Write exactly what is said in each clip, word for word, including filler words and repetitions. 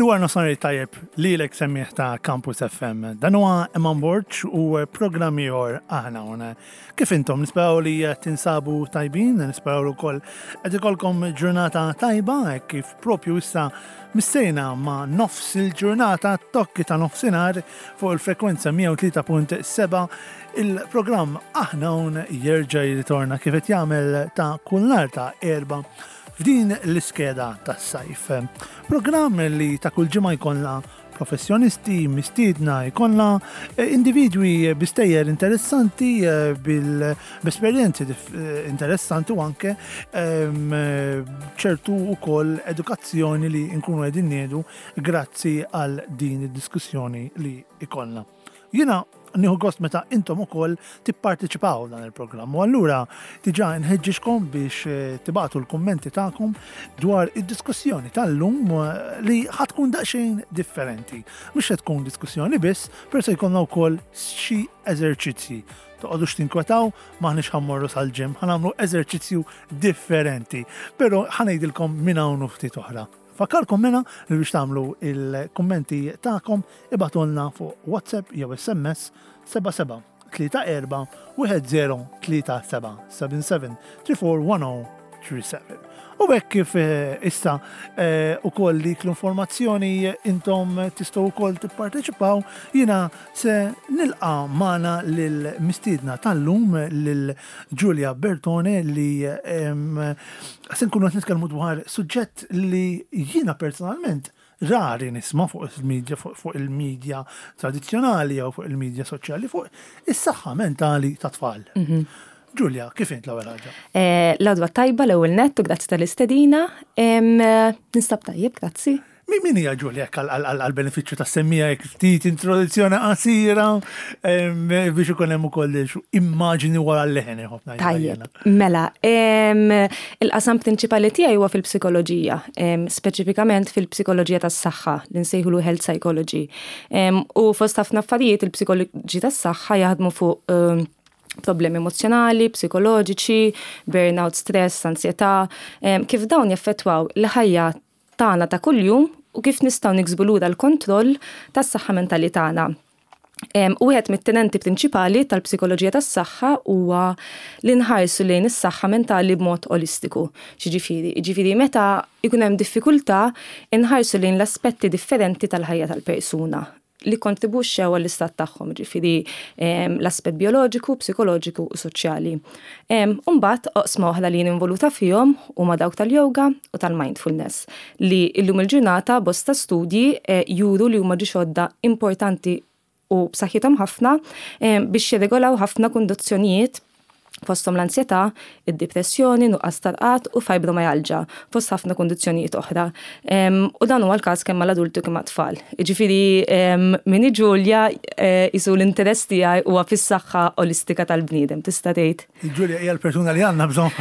Il-wara nofsinhar tajjeb lilek, semmiegħ ta' Campus F M. Dan huwa Eman Borg u programm ieħor Aħna Hawn. Kif intom? Nisperaw li tinsabu tajbin, nisperaw li wkoll qed ikollkom ġurnata tajba kif propju issa missejna ma' nofs il-ġurnata, tokki ta' nofsinhar fuq il-frekwenza mija u tlieta punt seba'. Il-programm Aħna Hawn jerġa' jirritorna kif qed jagħmel ta' kull nhar ta' Erbgħa f'din l-iskeda tas-sajf. Programm li ta' kull ġimgħa jkollna professjonisti, mistiedna, jkollna eh, individwi bi stejjer interessanti, eh, bil-esperjenzi eh, interessanti u anke ehm, ċertu ukoll edukazzjoni li nkunu qegħdin nieħdu grazzi għal din id-diskussjoni li ikollna. Jiena nieħu gost meta intom ukoll tipparteċipaw dan il-programm. U allura diġà nħeġġiġkom biex eh, tibagħtu l-kummenti tagħkom dwar id-diskussjoni tal-lum eh, li ħa tkun daqsxejn differenti. Mhux se tkun diskussjoni biss, però se jkollna wkoll xi eżerċizzji. Toqgħodux tinkwetaw, m'aħniex ħa mmorru sal-gym, ħa nagħmlu eżerċizzju differenti. Però ħa ngħidilkom minn hawn ftit oħra. Infakkarkom mela li biex tagħmlu il-kummenti tagħkom ibagħtulna fuq WhatsApp jew S M S seba' seba' tlieta erba' wieħed żero tlieta seba', seba' seba tlieta erba' wieħed żero tlieta seba'. U hekk kif eh, issa eh, ukoll dik l-informazzjoni intom tistgħu wkoll tipparteċipaw, jiena se nilqa' magħna lil mistiedna tal-lum, lil Giulia Bertone, li se nkunu qed nitkellmu dwar suġġett li jiena personalment rari nisma' fuq il-media, fuq il-media tradizzjonali jew fuq il-media soċjali, fuq is-saħħa mentali ta' tfal. Mhm. Giulia, kif int l-ewwel ħaġa? Eh, l-għodwa tajba l-ewwel nett u grazzi tal-istedina. Ninsab tajjeb, grazzi. Min hija Giulia għal-benefiċċju tas-semmiegħa, ftit introduzzjoni qasira biex ikun hemm ukoll immaġini wara l-leħen? Tajjeb, mela, il-qasam prinċipali tiegħi huwa fil-psikoloġija, speċifikament fil-psikoloġija tas-saħħa li nsejħulu health psychology. U fost ħafna affarijiet, il-psikoloġija tas-saħħa jaħdmu fuq problemi emozjonali, psikoloġiċi, burnout, stress, ansjetà, kif dawn jaffettwaw l-ħajja tagħna ta' kuljum u kif nistgħu niksbu lura l-kontroll tas-saħħa mentali tagħna. U wieħed mit-tenenti prinċipali tal-psikoloġija tas-saħħa huwa li nħarsu lejn is-saħħa mentali b'mod olistiku. Ġifieri, ġifieri meta jkun hemm diffikultà, inħarsu lejn l-aspetti differenti tal-ħajja tal-persuna li kontribuxxew għall-istat tagħhom, ġifieri l-aspett bioloġiku, psikoloġiku u soċjali. Umbagħad oqsma oħra li involuta fihom huma dawk tal-yoga u tal-mindfulness, li illum il-ġurnata bosta studji eh, juru li huma għodda importanti u b'saħħithom ħafna biex jirregolaw ħafna kundizzjonijiet, fosthom l-ansjetà, id-depressjoni, nuqqas ta' rqad u fibromyalgia, fost ħafna kundizzjonijiet oħra. U dan huwa l-każ kemm mal-adulti kemm mat-tfal. Ġifieri min hi Ġulja, qisu l-interess tiegħi huwa fis-saħħa olistika tal-bniedem, tista' tgħid. Ġulja hija l-persuna li għandna bżonn.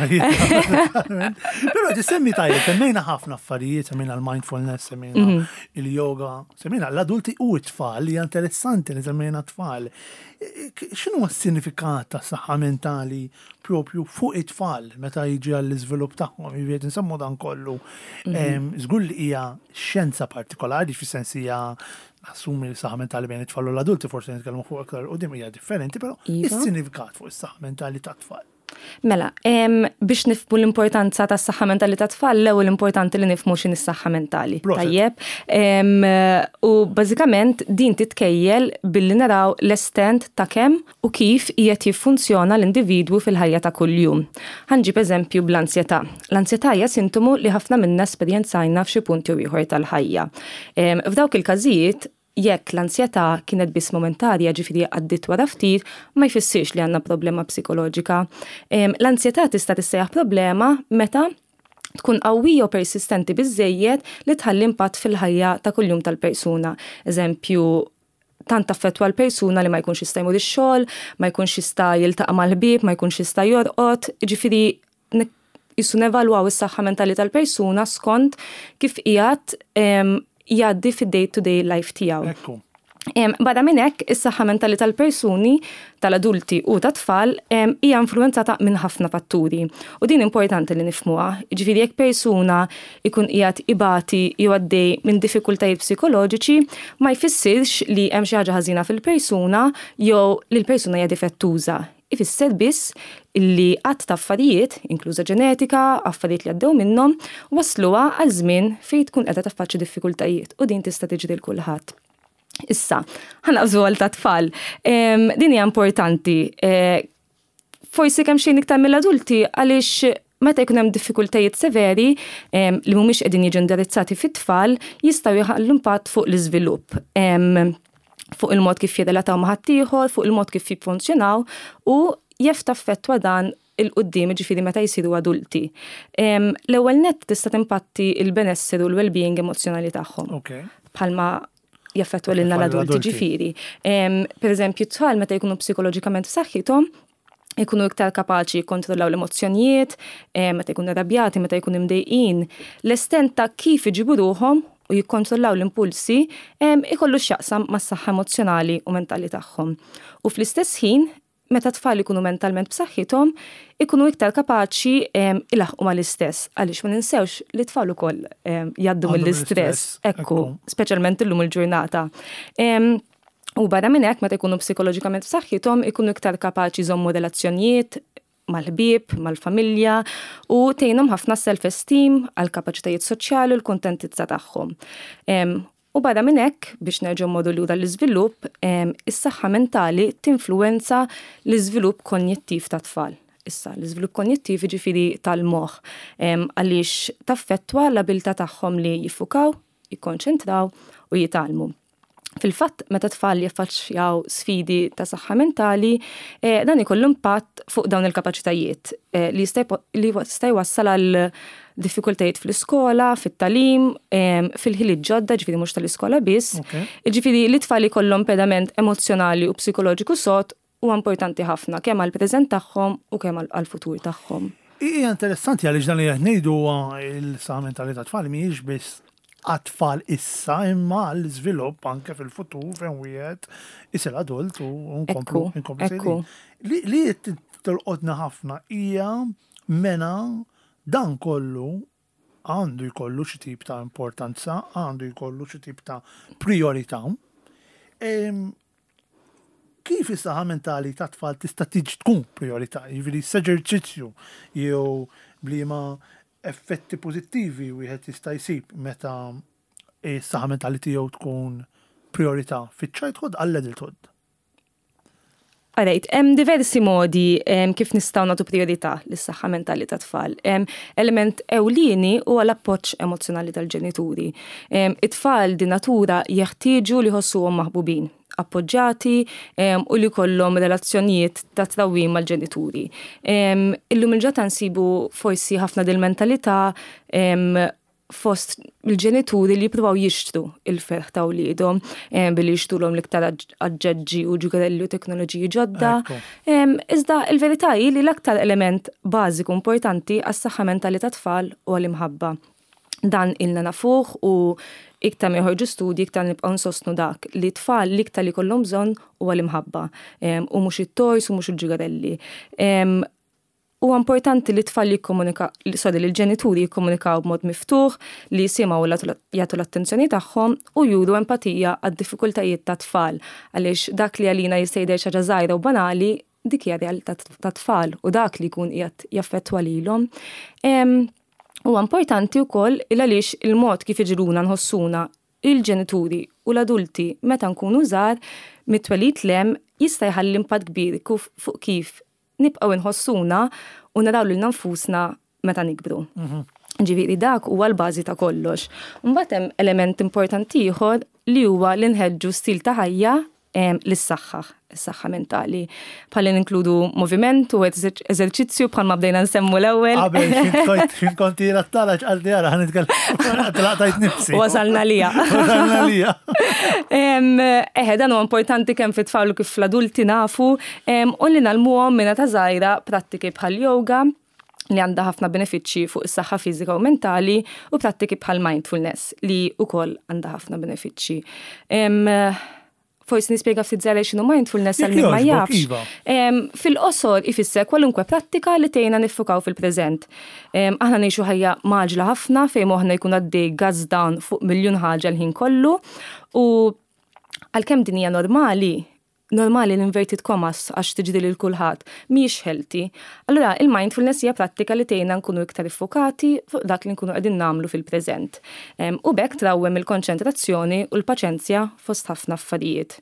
Però tissemmi tajjeb, semmejna ħafna affarijiet, semmejna l-mindfulness, semmejna mhm. il-yoga, semmejna l-adulti u t-tfal, li interessanti li semmejna t-tfal. X'inhu s-sinifikat ta' saħħa mentali propju fuq it-tfal meta jiġi għall-iżvilupp tagħhom, jiġifieri nsemmu dan kollu? Mhm. Żgur li hija xjenza partikolari, fis-sens hija assumi li saħħa mentali bejn it-tfal u l-adulti forsi nitkellmu fuq aktar u hija differenti, però iva. is-sinifikat fuq is-saħħa mentali tat-tfal. Mela, biex nifhmu l-importanza tas saħħa mentali ta' tfal, l-ewwel importanti li nifhmu x'inhi s-saħħa mentali. Tajjeb. U bażikament din titkejjel billi naraw l-estent ta' kemm u kif qiegħed jiffunzjona l-individwu fil-ħajja ta' kuljum. Ħa nġib eżempju bl-ansjetà. L-ansjetà hija sintomu li ħafna minna esperjenzajna f'xi punt jew ieħor tal-ħajja. F'dawk il-każijiet, jekk l-ansjetà kienet biss momentarja, ġifieri għaddit wara ftit, ma jfissirx li għandna problema psikoloġika. L-ansjetà tista' tissejjaħ problema meta tkun qawwija u persistenti biżejjed li tħalli impatt fil-ħajja ta' kuljum tal-persuna. Eżempju, tant affettwa l-persuna li ma jkunx jista' jmur ix-xogħol, ma jkunx jista' jiltaqa' mal-ħbieb, ma jkunx jista' jorqod, ġifieri qisu nevalwaw is-saħħa mentali tal-persuna skont kif qiegħed jgħaddi fid-day to day life tiegħu. Barra minn hekk, is-saħħa mentali tal-persuni, tal-adulti u tat-tfal hija influenzata minn ħafna fatturi. U din importanti li nifhmuha. Ġifieri jekk persuna ikun qiegħed ibati jew għaddej minn diffikultajiet psikoloġiċi, ma jfissirx li hemm xi ħaġa ħażina fil-persuna jew li l-persuna hija difettuża. Ifisser biss illi għadd ta' affarijiet, inkluża ġenetika, affarijiet li għaddew minnhom, wasluha għal żmien fejn tkun qiegħda taffaċċja diffikultajiet u din tista' tiġri lil kulħadd. Issa, ħa naqbżu għal tat-tfal. Din hija importanti. Eh, forsi kemm xejn iktar mill-adulti għaliex meta jkun hemm diffikultajiet severi li mhumiex qegħdin jiġu indirizzati fit-tfal jistgħu jħallu impatt fuq l-iżvilupp, fuq il-mod kif jirrelataw ma' ħaddieħor, fuq il-mod kif jiffunzjonaw u jaf taffettwa dan 'il quddiem, ġifieri meta jisiru adulti. L-ewwel net tista' timpatti il-benesseri u l-well-being emozjonali tagħhom. Bħalma jaffettwa lilna l-adulti, ġifieri. Per eżempju, tfal meta jkunu psikoloġikament f'saħħithom, ikunu iktar kapaċi jikkontrollaw l-emozzjonijiet, meta jkunu arrabjati, meta jkunu imdejqin. L-estent ta' kif iġibu ruħhom u jikkontrollaw l-impulsi ikollu x'jaqsam mas-saħħa emozjonali u mentali tagħhom. U fl-istess ħin, meta tfal ikunu mentalment b'saħħithom, ikunu iktar kapaċi ilaħqu mal-istress, għaliex ma ninsewx li tfal ukoll jgħaddu mill-istress, ekku, speċjalment illum il-ġurnata. U barra minn hekk, meta jkunu psikoloġikament b'saħħithom, ikunu iktar kapaċi jżommu relazzjonijiet mal-ħbieb, mal-familja u tgħinhom ħafna self-esteem għal kapaċitajiet soċjali u l-kuntentizza tagħhom. U barra minn hekk, biex nerġgħu mmorru lura l-iżvilupp, is-saħħa mentali tinfluwenza l-iżvilupp konjettiv tat-tfal. Issa, l-iżvilupp konjettiv, ġifieri tal-moħħ, għaliex taffettwa l-abilità tagħhom li jiffukaw, jikkonċentraw u jitgħallmu. Fil-fatt, meta tfal jaffaċċjaw sfidi ta' saħħa mentali, eh, dan ikollu impatt fuq dawn il-kapaċitajiet eh, li jista' jwassal għal diffikultajiet fl-iskola, fit-tagħlim, fil-ħiliet ġodda, ġifieri mhux tal-iskola biss. Ġifieri li tfal ikollhom pedament emozjonali u psikoloġiku sod huwa importanti ħafna kemm għall-preżent tagħhom u kemm għall-futur tagħhom. Hija interessanti għaliex dan li qed ngħidu, il-saħħa mentali ta' tfal mhijiex biss għat-tfal issa imma l-iżvilupp anke fil-futur fejn wieħed isir adult u nkomplu nkomplu. Li li tolqotna ħafna hija mena dan kollu għandu jkollu xi tip ta' importanza, għandu jkollu xi tip ta' priorità. Kif is-saħħa mentali ta' tfal tista' tiġi tkun priorità? Jiġifieri s-eżerċizzju jew bliema effetti pożittivi wieħed jista' jsib meta is-saħħa mentali tiegħu tkun priorità fiċ-childhood għall-adulthood? Alright, hemm diversi modi kif nistgħu nagħtu priorità lis-saħħa mentali ta' tfal. Element ewlieni huwa l-appoġġ emozzjonali tal-ġenituri. It-tfal di natura jeħtieġu li jħossuhom maħbubin, appoġġjati u li kollhom relazzjonijiet ta' trawwim mal-ġenituri. Illum il-ġurnata nsibu forsi ħafna dil-mentalità fost il-ġenituri li jippruvaw jixtru il-ferħ ta' wliedhom billi jixtrulhom l-iktar aġġeġġi u ġugarelli u teknoloġiji ġodda. Iżda il-verità hi li l-aktar element bażiku importanti għas-saħħa mentali ta' tfal huwa l-imħabba. Dan ilna nafuh u iktar ma joħorġu studji iktar nibqgħu nsostnu dak li tfal l-iktar li kollhom bżonn huwa l-imħabba u mhux it-toys u mhux il-ġugarelli. Huwa importanti li tfal jikkomunika, sorry, li l-ġenituri jikkomunikaw b'mod miftuħ, li jisimgħu, jagħtu l-attenzjoni tagħhom u juru empatija għad-diffikultajiet ta' tfal, għaliex dak li għalina jista' jidher xi ħaġa żgħira u banali, dik hija realtà ta' tfal u dak li jkun qiegħed jaffettwa lilhom. Huwa importanti wkoll il għaliex il-mod kif iġegħluna nħossuna il-ġenituri u l-adulti meta nkunu żgħar mit-twelid 'l hemm jista' jħalli impatt kbir fuq kif nibqgħu nħossuna u naraw lilna nfusna meta nikbru. Mhm. Ġifieri dak huwa l-bażi ta' kollox. Mbagħad hemm element importanti ieħor li huwa li nħeġġu stil ta' ħajja lis-saħħa, is-saħħa mentali. Bħalli ninkludu moviment u eżerċizzju bħalma bdejna nsemmu l-ewwel. Qabel xin konti rattala ċqalti għara ħa nitkellem tlaqtajt nifsi. Wasalna lija. Wasalna lija. Eħe, dan huwa importanti kemm fit-tfal u kif fl-adulti nafu, u li ngħallmuhom minn età żgħira prattiki bħal yoga li għandha ħafna benefiċċji fuq is-saħħa fiżika u mentali u prattiki bħal mindfulness li wkoll għandha ħafna benefiċċji. Forsi nispjega ftit żgħira x'inhu mindfulness għal min ma jafx. Iva. Fil-qosor ifisser kwalunkwe prattika li tgħinna niffukaw fil-preżent. Aħna ngħixu ħajja mgħaġġla ħafna fejn moħħna jkun għaddej gas down fuq miljun ħaġa l-ħin kollu u għalkemm din hija normali, normali l-inverted commas għax tiġri lil kulħadd, mhijiex healthy. Allura il-mindfulness hija prattika li tgħinna nkunu iktar iffokati fuq dak li nkunu qegħdin nagħmlu fil-preżent. U b'hekk trawwem il-konċentrazzjoni u l-paċenzja fost ħafna affarijiet.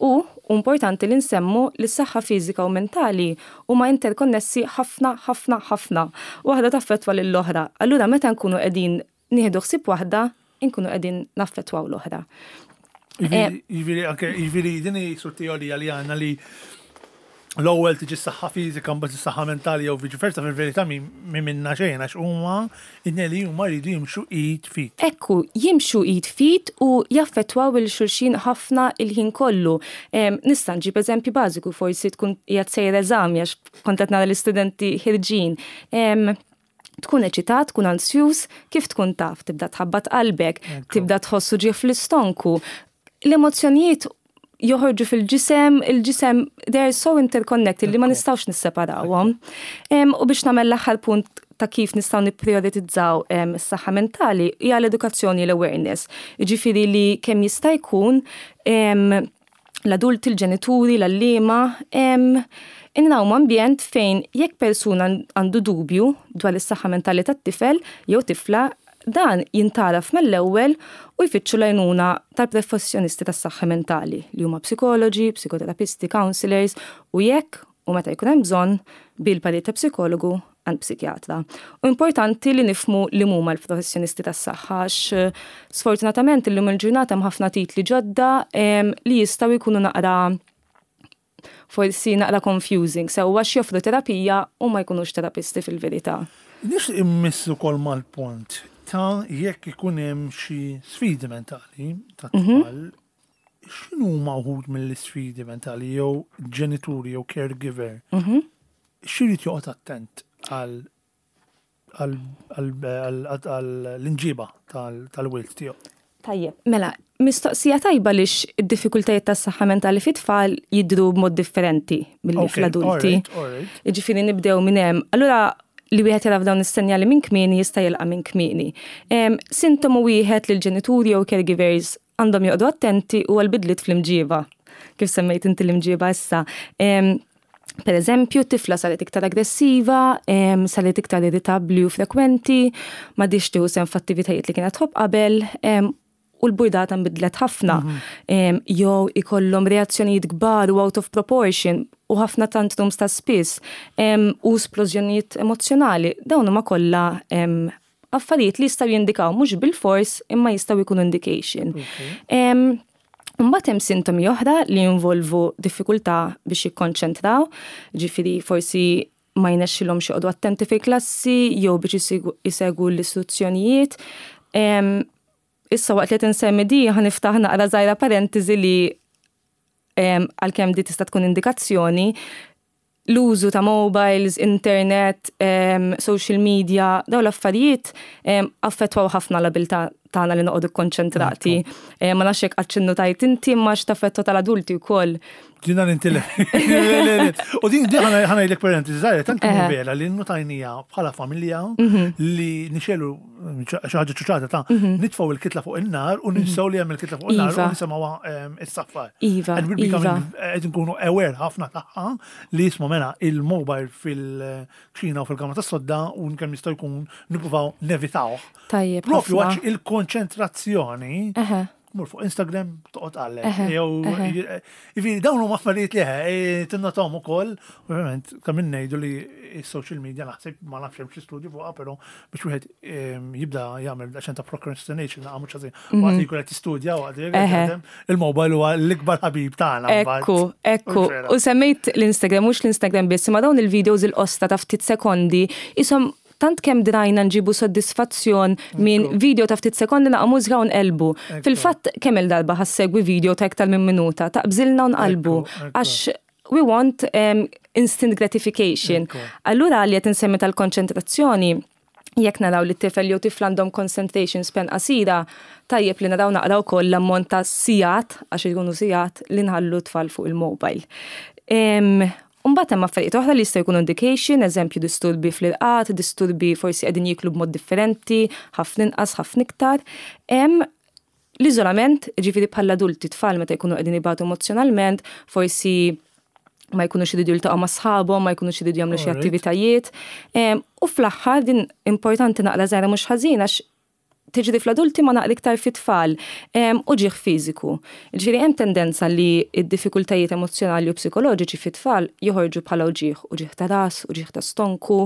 U importanti li nsemmu li s-saħħa fiżika u mentali huma interkonnessi ħafna, ħafna, ħafna. Waħda taffettwa lill-oħra. Allura meta nkunu qegħdin nieħdu ħsieb waħda, nkunu qegħdin naffettwaw l-oħra. Jiġifieri, anke, jiġifieri, din hi su teorija li għandna li l-ewwel tiġi s-saħħa fiżika, mbagħad is-saħħa mentali jew viċi versa, fil-verità mi minna xejn, għax huma it-tnejn li huma jridu jimxu id f'id. Ekku, jimxu id f'id u jaffettwaw lil xulxin ħafna il-ħin kollu. Nista' nġib eżempju bażiku, forsi tkun qiegħed sejjer eżami għax kont qed nara l-istudenti ħirġin. Tkun eċitat, tkun ansjus, kif tkun taf, tibda tħabbat qalbek, tibda tħossu uġigħ fl-istonku. L-emozzjonijiet joħorġu fil-ġisem, il-ġisem, they are so interconnected li ma nistgħux nisseparawhom. U biex nagħmel l-aħħar punt ta' kif nistgħu nipprioritizzaw is-saħħa mentali hija l-edukazzjoni, l-awareness. Jiġifieri li kemm jista' jkun l-adulti, l-ġenituri, l-għalliema, inrawmu ambjent fejn jekk persuna għandu dubju dwar is-saħħa mentali tat-tifel jew tifla, dan jintgħaraf mill-ewwel u jfittxu l-għajnuna tal-professjonisti tas-saħħa mentali li huma psikoloġi, psikoterapisti, counselors u jekk u meta jkun hemm bżonn bil-parir ta' psikologu għand psikjatra. U importanti li nifhmu li huma l-professjonisti tas-saħħa għax sfortunatament illum il-ġurnata hemm ħafna titli ġodda li jistgħu jkunu naqra forsi naqra confusing, sew għax joffru terapija u ma jkunux terapisti fil-verità. Nix immissu kol mal-punt ta' jekk ikun hemm xi sfidi mentali ta' Mhm. tfal, x'inhu huma wħud mill-isfidi mentali jew ġenituri jew caregiver? Mhm. X'irid joqgħod attent għal għall-imġiba tal-wild tiegħu? Tajjeb, mela, mistoqsija tajba lix id-diffikultajiet tas-saħħa mentali fit-tfal jidru b'mod differenti milli Okay, fl-adulti. alright, alright. Jiġifieri nibdew minn hemm. Allura li wieħed jara f'dawn is-senjali minn kmieni jista' jilqa' minn kmieni. Em, Sintomu wieħed li l-ġenituri jew caregivers għandhom joqogħdu attenti huwa l-bidliet fl-imġiba. Kif semmejt inti l-imġiba issa. Em, Per eżempju, tifla saret iktar aggressiva, em, saret iktar irritabli u frekwenti, m'għadhiex tieħu sehem f'attivitajiet li kienet tħobb qabel, em, u l-burdata nbidlet ħafna. Em, Jew ikollhom reazzjonijiet kbar u out of proportion u ħafna tantrums ta' spiss em, u splożjonijiet emozjonali. Dawn huma kollha em, affarijiet li jistgħu jindikaw mhux bil-fors imma jistgħu jkunu indication. Em, Mbagħad hemm sintomi oħra li jinvolvu diffikultà biex jikkonċentraw, ġifieri forsi ma jnexxilhomx joqogħdu attenti fil-klassi jew biex jisigu- jisegwu l-istruzzjonijiet. Em, Issa waqt li qed insemmi di ħa niftaħ naqra żgħira parentesi li em, għalkemm di tista' tkun indikazzjoni, l-użu ta' mobiles, internet, em, social media, daw l-affarijiet em, affettwaw ħafna l-abilità tagħna li noqogħdu konċentrati. Em, Ma nafx hekk qattx innotajt inti imma x'taffettwa tal-adulti wkoll. Ġina nintile. U din din ħa ngħidlek parentesi żgħira, tant Eħe. vera li nnotajnieha bħala familja Mhm. li nixegħlu xi ħaġa ċuċata ta' nitfgħu il-kitla fuq in-nar u ninsew li hemm il-kitla fuq in-nar u Iva. nisimgħuha is-saffar. Iva, And we're becoming iva. qed nkunu aware ħafna tagħha li jisma' mela il-mobile fil-kċina u fil-kamra tas-sodda u kemm jista' jkun nippruvaw nevitawh. Tajjeb. Propju ħafna. għax il-konċentrazzjoni Eħe. mur fuq Instagram toqgħod għallek. Eħe, Jew eħe. jiġifieri dawn huma affarijiet li eħe tinnotahom ukoll, ovvjament kemm ngħidu li s-social media naħseb ma nafx hemm xi studju fuqha, però biex wieħed em, jibda jagħmel daqsxejn ta' procrastination naqgħa mhux ħażin. Waqt li jkun qed jistudja waqt li jkun qed Eħe. jaħdem, il-mobile huwa l-ikbar ħabib tagħna mbagħad. Ekku, ekku. U vera. U semmejt l-Instagram, mhux l-Instagram biss, ma dawn il-videos il-qosra ta' ftit sekondi, isom tant kemm drajna nġibu soddisfazzjon minn Ekku. video ta' ftit sekondi naqa' mużika u nqelbu. Ekku. Fil-fatt kemm il-darba ħa ssegwi video ta' iktar minn minuta, taqbżilna u nqalbu. Ekku, ekku. Għax we want um, instant gratification. Ekku. Allura li qed insemmi tal-konċentrazzjoni, Jekk naraw li t-tifel jew tifla għandhom concentration span qasira, tajjeb li naraw naqraw ukoll l-ammont ta' sigħat, għax ikunu sigħat li nħallu tfal fuq il-mobile. Mbagħad hemm affarijiet oħra li jistgħu jkunu indication, eżempju disturbi fl-irqad, disturbi forsi qegħdin jiklu b'mod differenti, ħafna inqas, ħafna iktar. Hemm l-iżolament, ġifieri bħala adulti tfal meta jkunu qegħdin ibatu emozjonalment, forsi ma jkunux iridu jiltaqgħu ma' sħabhom, ma jkunux iridu jagħmlu xi attivitajiet. U fl-aħħar din importanti naqra żgħira mhux ħażin għax tiġri fl-adulti ma naqra iktar fit-tfal uġigħ fiżiku. Ġifieri hemm tendenza li d-diffikultajiet emozjonali u psikoloġiċi fit-tfal joħorġu bħala uġigħ, uġigħ ta' ras, uġigħ ta' stonku,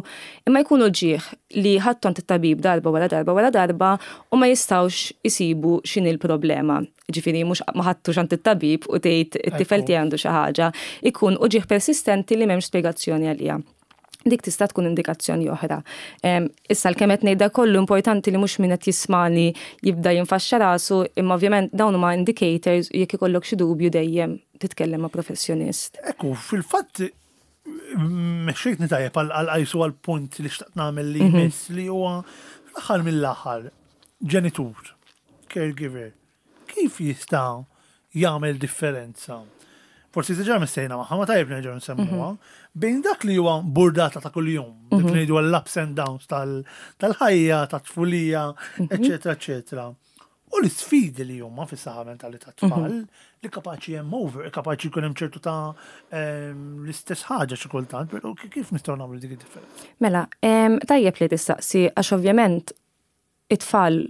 imma jkunu uġigħ li ħadthom it-tabib darba wara darba wara darba u ma jistgħux isibu x'inhi l-problema. Ġifieri mhux ma ħadtux għand it-tabib u tgħid it-tifel tiegħi għandu xi ħaġa, ikun uġigħ persistenti li m'hemmx spjegazzjoni għalija. Dik tista' tkun indikazzjoni oħra. Issa l-kemm qed ngħidha kollu importanti li mhux min qed jismani jibda jinfaxxa rasu, imma ovvjament dawn huma indicators jekk ikollok xi dubju dejjem titkellem ma' professjonist. Ekku, fil-fatt mexxejtni tajjeb għal għajsu għal punt li xtaqt nagħmel li jmiss li huwa fl-aħħar mill-aħħar ġenitur, caregiver, kif jista' jagħmel differenza? Forsi diġà missejna magħha, ma tajjeb nerġgħu nsemmuha, bejn dak li huwa burdata ta' kuljum, dak li ngħidu l-ups and downs tal-ħajja, tat-tfulija, eċetera, eċetera. U l-sfidi li huma fis-saħħa mentali tat-tfal li kapaċi hemm over, kapaċi jkun hemm ċertu ta' l-istess ħaġa xi kultant, però kif nistgħu nagħmlu dik id-differenza? Mela, tajjeb li tistaqsi għax ovvjament it-tfal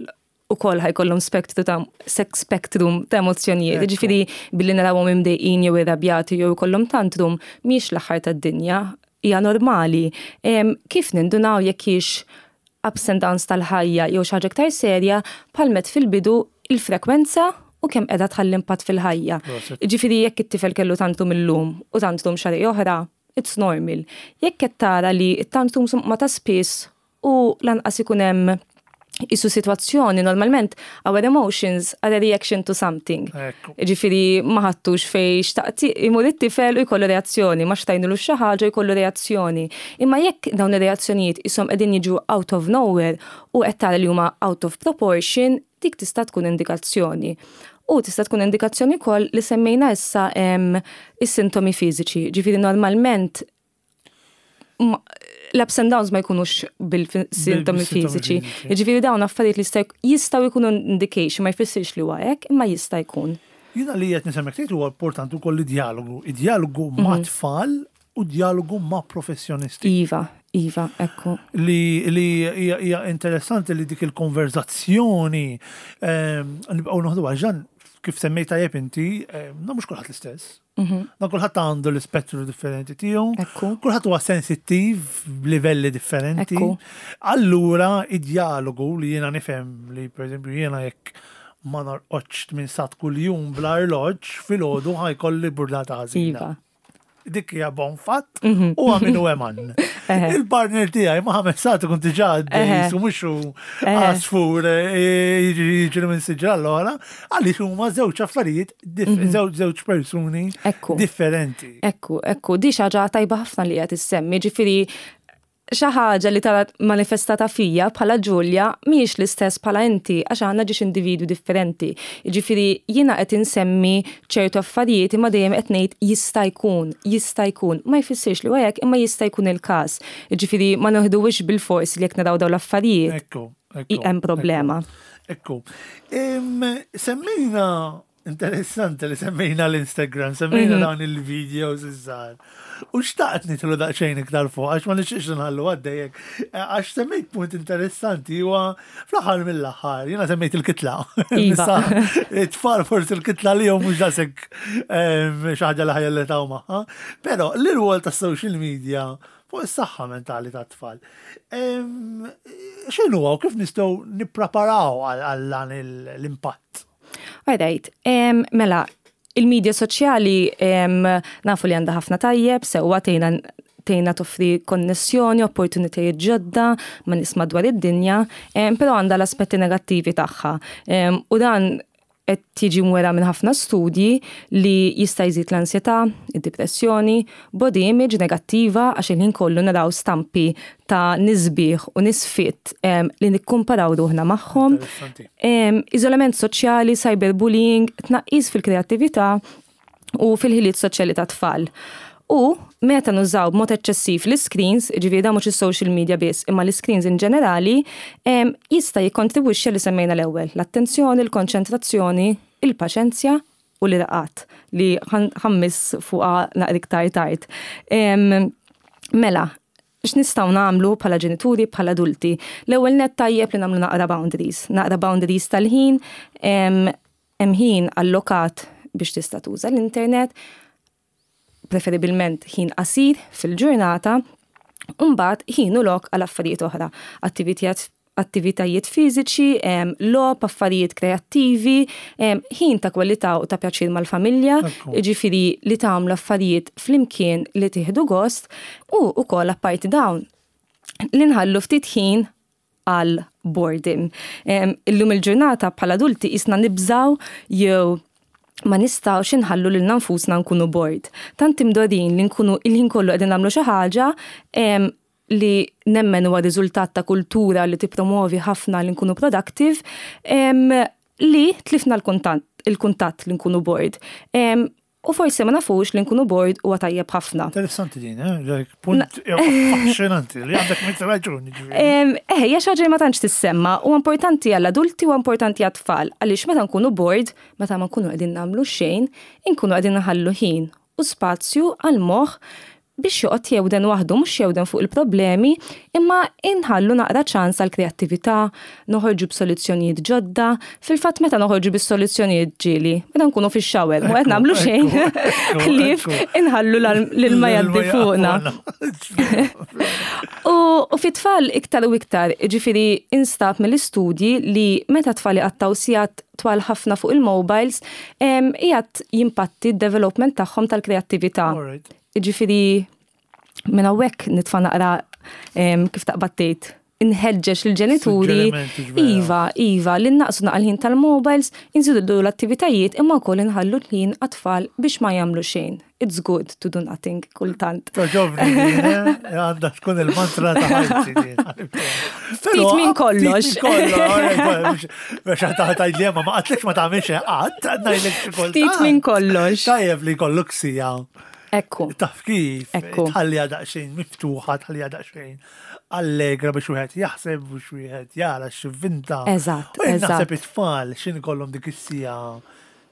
ukoll ħa jkollhom spektru ta' spectrum ta' emozzjonijiet. Ġifieri billi narawhom imdejqin jew irrabjati jew ikollhom tantrum mhix l-aħħar tad-dinja, hija normali. Kif nindunaw jekk hix ups and downs tal-ħajja jew xi ħaġa iktar serja, bħalma għedt fil-bidu il-frekwenza u kemm qiegħda tħalli impatt fil-ħajja. Ġifieri jekk it-tifel kellu tantrum illum u tantrum xahar oħra, it's normal. Jekk qed tara li t-tantrum ma ta' spiss u lanqas ikun hemm isu situazzjoni, normalment our emotions are a reaction to something. Ġifieri ma ħadtux fej xtaqt imur it-tifel u jkollu reazzjoni, ma xtrajnilu xi ħaġa jkollu reazzjoni. Imma jekk dawn ir-reazzjonijiet isom qegħdin jiġu out of nowhere u qed tara li huma out of proportion, dik tista' tkun indikazzjoni. U tista' tkun indikazzjoni wkoll li semmejna issa is-sintomi fiżiċi. Ġifieri normalment l-ups and downs ma jkunux bil-sintomi fiżiċi. Ġifieri dawn affarijiet li jistgħu jkunu indication, ma jfissirx li huwa hekk, imma jista' jkun. Jiena li qed nisemmek tgħid huwa importanti wkoll id-dialogu. Id-dialogu ma' mhm. tfal u dialogu ma' professjonisti. Iva, iva, ekku. Li li hija interessanti li dik il-konverzazzjoni ehm, nibqgħu noħdu għax kif semmejta tajjeb inti, ehm, na mhux kulħadd l-istess. Mhm. Na kulħadd għandu l-ispettru differenti tiegħu. Kulħadd huwa sensittiv b'livelli differenti. Allura id-dialogu li jiena nifhem li pereżempju jiena jekk ma norqodx minn sigħat kuljum bla arloġġ filgħodu ħa jkolli burdata ħażina. Iva. Dik hija bon fatt mhm. u għaminu eman. Il-partner tiegħi ma ħames sigħat ikun diġà għaddej u mhux għasfur eh, jiġri minn siġra l-oħra, għaliex huma żewġ affarijiet, mhm. żewġ persuni differenti. Ekku, ekku, di xi ħaġa tajba ħafna li qed issemmi, ġifieri xi ħaġa li tara manifestata fija bħala Ġulja mhijiex l-istess bħala inti għax għandna ġiex individwi differenti. Ġifieri jiena qed insemmi ċertu affarijiet imma dejjem qed ngħid jista' jkun, jista' jkun. Ma jfissirx li hekk imma jista' jkun il-każ. Ġifieri ma noħduwix bil-fors li jekk naraw dawn l-affarijiet. Ekku, ekku. Hemm problema. Ekku. Semmejna Interessanti li semmejna l-Instagram, semmejna mhm. dawn il-videos iż-żgħar. U xtaqt nidħlu daqsxejn iktar fuq, għax ma nixtieqx nħallu għaddejjek. Għax semmejt punt interessanti huwa fl-aħħar mill-aħħar, jiena semmejt il-kitla. Iva. It-tfal forsi il-kitla li mhux daqshekk xi ħaġa li ħa jirrelataw magħha. Però l-rwol tas-social media fuq is-saħħa mentali tat-tfal. X'inhu u kif nistgħu nippreparaw għal dan l-impatt? Alright, mela, il-medja soċjali nafu li għandha ħafna tajjeb, sewwa tgħinna tgħinna toffri konnessjoni, opportunitajiet ġodda ma' nies madwar id-dinja, però għandha l-aspetti negattivi tagħha. U dan Qed tiġi mwera minn ħafna studji li jista' jżid l-ansjetà, id-depressjoni, body image negattiva, għax il-ħin kollu naraw stampi ta' nies sbieħ u nies fit li nikkumparaw ruħna magħhom. Iżolament soċjali, cyberbullying, tnaqqis fil-kreattività u fil-ħiliet soċjali ta' tfal. U meta nużaw b'mod eċċessiv l-screens, ġifieri da mhux is-social media biss, imma l-screens in ġenerali, jista' jikkontribwixxi li semmejna l-ewwel, l-attenzjoni, l-konċentrazzjoni, il-paċenzja u l-irqad li ħa mmiss fuqha naqra iktar tard. Mela, x'nistgħu nagħmlu bħala ġenituri, bħala adulti? L-ewwel net, tajjeb li nagħmlu naqra boundaries, naqra boundaries tal-ħin, hemm ħin allokat biex tista' tuża l-internet, preferibilment ħin qasir fil-ġurnata, mbagħad ħin u lok għal affarijiet oħra, attivitajiet attivitajiet fiżiċi, logħob, affarijiet kreattivi, ħin ta' kwalità u ta' pjaċir mal-familja, ġifieri li tagħmlu affarijiet flimkien li tieħdu gost u wkoll apparti dawn li nħallu ftit ħin għal boredom. Illum il-ġurnata bħala adulti jisna nibżaw jew ma nistgħux inħallu lil nfusna nkunu bored. Tant imdorrijin li nkunu il-ħin kollu qegħdin nagħmlu xi ħaġa li nemmen huwa riżultat ta' kultura li tippromovi ħafna li nkunu productive, li tlifna l-kuntatt il-kuntatt li nkunu bored. U forsi ma nafux li nkunu bored huwa tajjeb ħafna. Interessanti din, eh? Punt affaxxinanti li għandek mitt raġuni. Eh, hija xi ħaġa ma tantx tissemma u importanti għall-adulti u importanti għat-tfal, għaliex meta nkunu bored, meta ma nkunu qegħdin nagħmlu xejn, inkunu qegħdin naħallu ħin u spazju għal-moħħ biex joqgħod jewden waħdu, mhux jewden fuq il-problemi, imma inħallu naqra ċans għal kreattività, noħorġu b'soluzzjonijiet ġodda. Fil-fatt, meta noħorġu bis-soluzzjonijiet ġieli, meta nkunu fix-shower, mhu qed nagħmlu xejn. Ħlief inħallu l-ilma jgħaddi fuqna. U fit-tfal iktar u iktar, ġifieri instab mill-istudji li meta tfal iqattgħu sigħat twal ħafna fuq il-mobiles, qiegħed jimpatti d-development tagħhom tal-kreattività. Ġifieri, minn hawnhekk nitfa' naqra, kif taqbad tgħid, inħeġġeġ il-ġenituri, iva, iva, li naqsu naqra l-ħin tal-mobiles, inżidu l-attivitajiet, imma wkoll inħallu l-ħin għat-tfal biex ma jagħmlu xejn. It's good to do nothing kultant. Togħġobni, eh? Għandha tkun il-mantra ta' ħajti. Ftit minn kollox. Biex tgħid li ma għedtlekx ma tagħmilx qatt, ngħidlek xi kultant. Ftit minn kollox. Tajjeb li jkollok siegħa. Ekku. Taf kif, Ekku. tħalliha daqsxejn miftuħa, tħalliha daqsxejn allegra biex wieħed jaħseb, biex wieħed jara x'ivvinta. Eżatt, U jien eżatt. naħseb it-tfal xin ikollhom dik is-siegħa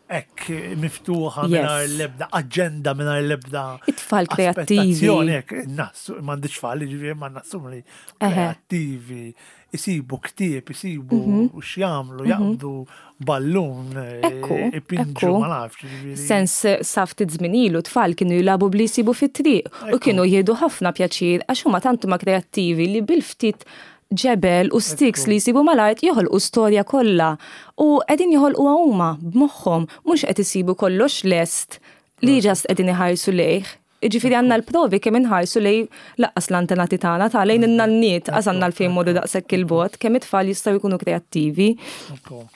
hekk miftuħa Yes. mingħajr l-ebda aġenda, mingħajr l-ebda It-tfal kreattivi. aspettazzjoni, hekk, nassu, m'għandix tfal, ġifieri ma nassum li Eħe. kreattivi, isibu ktieb, isibu Mhm. x'jagħmlu, jaqbdu ballun, eh, Ekku, ipinġu, ekku. ma nafx, ġifieri. Sens sa ftit żmien ilu tfal kienu jilagħbu bli jsibu fit-triq u Ekku. kienu jieħdu ħafna pjaċir għax huma tant huma kreattivi li bil-ftit ġebel u sticks Ekku. li jsibu mal-art joħolqu storja kollha. U qegħdin joħolquha huma b'moħħhom, mhux qed isibu kollox lest li just qegħdin iħarsu lejh. Ġifieri għandna l-provi kemm inħarsu lej lanqas l-antenati tagħna ta' lejn in-nanniet qas għandna l-fejn morru daqshekk il-bogħod, kemm it-tfal jistgħu jkunu kreattivi. Ekku.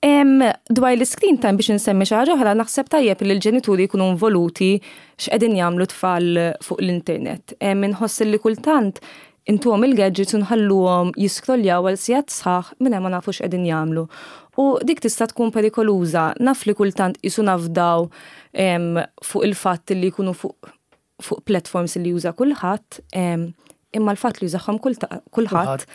Em, dwar l-screen time, biex nsemmi xi ħaġa oħra, naħseb tajjeb li l-ġenituri jkunu involuti x'qegħdin jagħmlu tfal fuq l-internet. Em, Inħoss li kultant intuhom il-gadgets u nħalluhom jiskrolljaw għal sigħat sħaħ minn ma nafux x'qegħdin jagħmlu. U dik tista' tkun perikoluża. Naf li kultant jisu nafdaw em, fuq il-fatt li jkunu fuq fuq platforms li juża kulħadd, em, imma l-fatt li jużahom kulħadd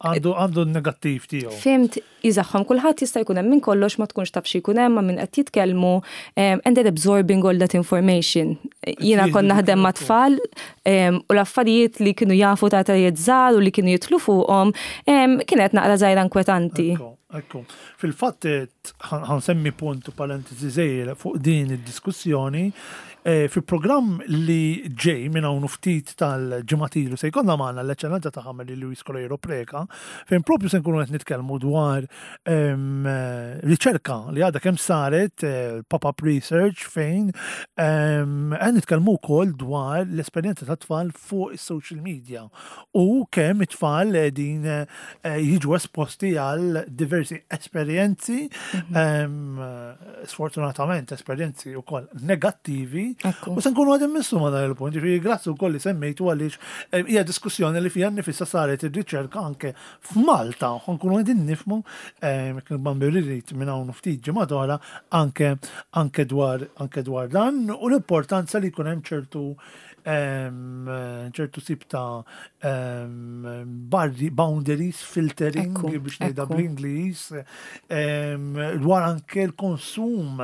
Għandu għandu n-negattiv tiegħu. Fhimt, jużahom kulħadd, jista' jkun hemm minn kollox, ma tkunx taf xi jkun hemm, ma' min qed jitkellmu, um, and they're absorbing all that information. Jiena Jieħdu kon naħdem ma' dik tfal um, u l-affarijiet li kienu jafu ta' tajiet żgħar u li kienu jidħlu fuqhom um, kienet naqra żgħira inkwetanti. Ekku, ekku. Fil-fatt ħa nsemmi punt u parentesi żgħira fuq din id-diskussjoni. Eh, fi programm li ġej minn hawn ftit tal-ġimgħat ilu se jkollna magħna l-eċċellenza ta' Mary Louise Coleiro Preca, fejn propju se nkunu qed nitkellmu dwar em, eh, riċerka li għadha kemm saret, eh, pop-up research, fejn em, qed nitkellmu wkoll dwar l-esperjenza ta' tfal fuq is-social media u kemm it-tfal qegħdin eh, jiġu esposti għal diversi esperjenzi, em, sfortunatament esperjenzi wkoll negattivi. Ekku. U se nkunu għadin missu ma dan il-punt, ġifieri grazzi wkoll li semmejtu għaliex eh, hija diskussjoni li fija nifissa saret ir-riċerka anke f'Malta, u nkunu għadin nifhmu kien Bambi rrid minn hawn ftit ġimgħa oħra anke anke dwar anke dwar dan u l-importanza li jkun hemm ċertu em, ċertu tip ta' em, barri, boundaries, filtering Ekku, biex ngħidha ekku. bl-Ingliż, em, dwar anke l-konsum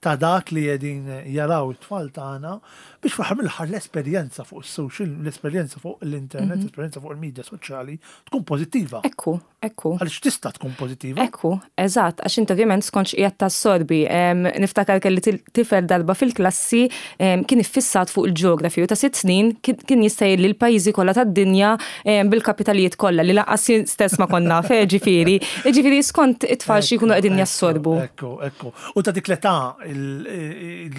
ta' dak li qegħdin jaraw it-tfal tagħna biex fl-aħħar mill-aħħar l-esperjenza fuq is-social, l-esperjenza fuq l-internet, l-esperjenza fuq il-medja soċjali tkun pożittiva. Ekku, ekku. Għaliex tista' tkun pożittiva. Ekku, eżatt, għax inti ovvjament skont x'qiegħed tassorbi. Em, Niftakar kelli til- tifel darba fil-klassi em, kien iffissat fuq il-ġeografi u ta' sitt snin kien kien jista' jgħidli l-pajjiżi kollha tad-dinja em, bil-kapitalijiet kollha li lanqas jien stess ma konna naf, eh, ġifieri. Ġifieri skont it-tfal xi jkunu qegħdin jassorbu. Ekku, ekku. U ta' dik l-età il-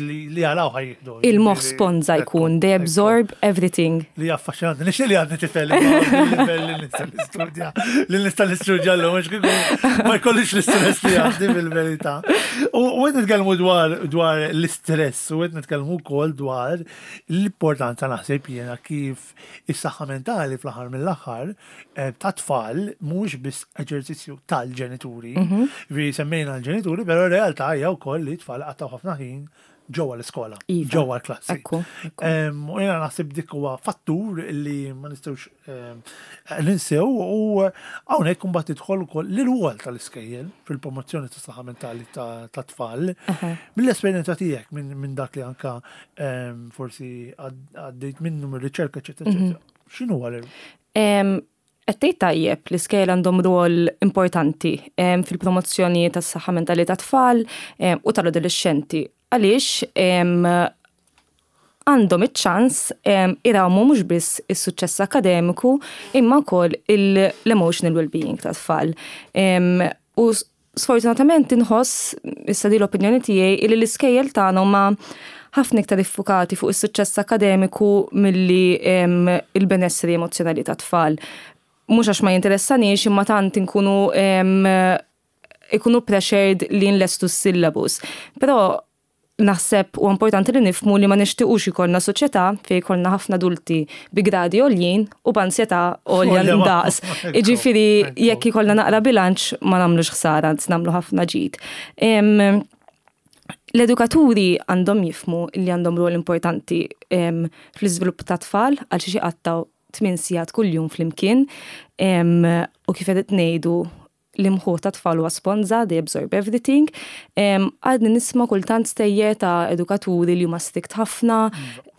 li li jaraw ħa jieħdu. Il-moħħ sponza jkun, they absorb everything. Li affaxxinanti. Nixtieq li għandni tifel li li nista' nistudja. Li nista' nistudja l mhux kieku ma jkollix l-istress li għandi fil-verità. U u qed nitkellmu dwar dwar l-istress u qed nitkellmu wkoll dwar l-importanza, naħseb jiena, kif is-saħħa mentali fl-aħħar mill-aħħar eh, ta' tfal mhux biss eġerċizzju tal-ġenituri. Vi semmejna l-ġenituri, però r-realtà hija wkoll li t-tfal qattaw ħafna ħin ġewwa l-iskola, Iva. ġewwa l-klassi. Ekku, ekku. Em, U jena naħseb dik huwa fattur li ma nistgħux em, ninsew u hawnhekk imbagħad tidħol ukoll l-rwol tal-iskejjel fil-promozzjoni tas-saħħa mentali ta' ta' tfal. Mill-esperjenza tiegħek minn min dak li anka em, forsi għad- għaddejt minnu mir-riċerka, eċetera, eċetera. X'inhu huwa l Em, Qed tgħid tajjeb, l-iskejjel għandhom rwol importanti em, fil-promozzjoni tas-saħħa mentali tat-tfal em, u tal-adolescenti. Għaliex em, għandhom iċ-ċans em, irawmu mhux biss is-suċċess akademiku imma wkoll il- l-emotional well-being tat-tfal. Em, U s- sfortunatament inħoss, issa di l-opinjoni tiegħi, li l-iskejjel tagħna huma ħafna iktar iffukati fuq is-suċċess akademiku milli em, il-benessri emozjonali tat-tfal. Mhux għax ma jinteressanix, imma tant inkunu em, ikunu pressured li nlestu s-syllabus. Però naħseb u importanti li nifhmu li ma nixtiqux ikollna soċjetà fejn ikollna ħafna adulti bi gradi għoljin u b'ansjetà għolja Għolja ma- ndaqs. Ekku, Iġifieri ekku. jekk ikollna naqra bilanċ ma nagħmlux ħsara, anzi nagħmlu ħafna ġid. Em, L-edukaturi għandhom jifhmu li għandhom rol importanti em, fl-iżvilupp ta' tfal għal xi qattaw tmien sigħat kuljum flimkien em, u kif qed ngħidu, l-imħuħ ta' tfal huwa sponza, they absorb everything. Em, Għadni nisma' kultant stejjer ta' edukaturi li huma strict ħafna,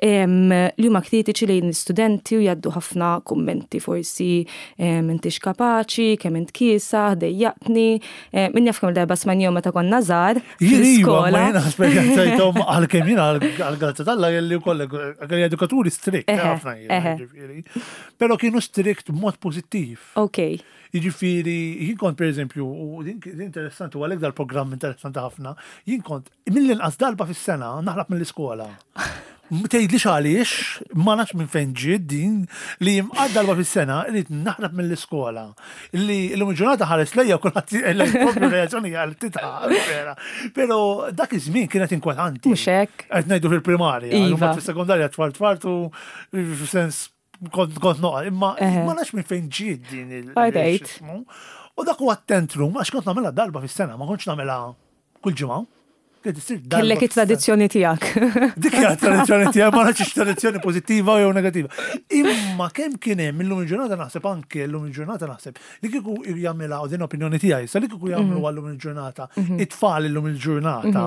em, li huma kritiċi lejn l-istudenti u jgħaddu ħafna kummenti, forsi em, intix kapaċi, kemm int kiesa, dejjaqtni, em, min jaf kemm darba smajnihom meta konna żgħar Jien iva, ma fl-iskola. jiena esperjenzajthom, għalkemm jiena għal-grazza t'Alla kelli wkoll kelli edukaturi strict, Eħe, ħafna jiena, eħe. ġifieri. Però kienu strict b'mod pożittiv. Ok, Jiġifieri, jien kont per eżempju, u din din interessanti, u għalhekk dal-programm interessanti ħafna, jien kont mill-inqas darba fis-sena naħrab mill-iskola. Tgħidlix għaliex, ma nafx minn fejn ġiet din li jimqad darba fis-sena irrid naħrab mill-iskola. Li l-lum ġurnata ħares lejja kulħadd propju reazzjoni għal titħaq, vera. Però dak iż-żmien kienet inkwetanti. Mhux hekk. Qed ngħidu fil-primarja, Iva. iva. Fis-sekondarja tfal tfartu f'sens kont kont noqa, imma Eħe. ma nafx minn fejn ġiet din il- Alright. il-xismu. U dak huwa tantrum, għax kont nagħmilha darba fis-sena, ma kontx nagħmilha kull ġimgħa. Kienet issir darba Kellek fis-sena. it-tradizzjoni tiegħek. Dik hija tradizzjoni tiegħi, ma nafx tradizzjoni pożittiva jew negattiva. Imma kemm kien hemm illum il-ġurnata, naħseb anke illum il-ġurnata naħseb li kieku jagħmilha, u din opinjoni tiegħi, sa li kieku jagħmlu għallum il-ġurnata, it-tfal illum il-ġurnata,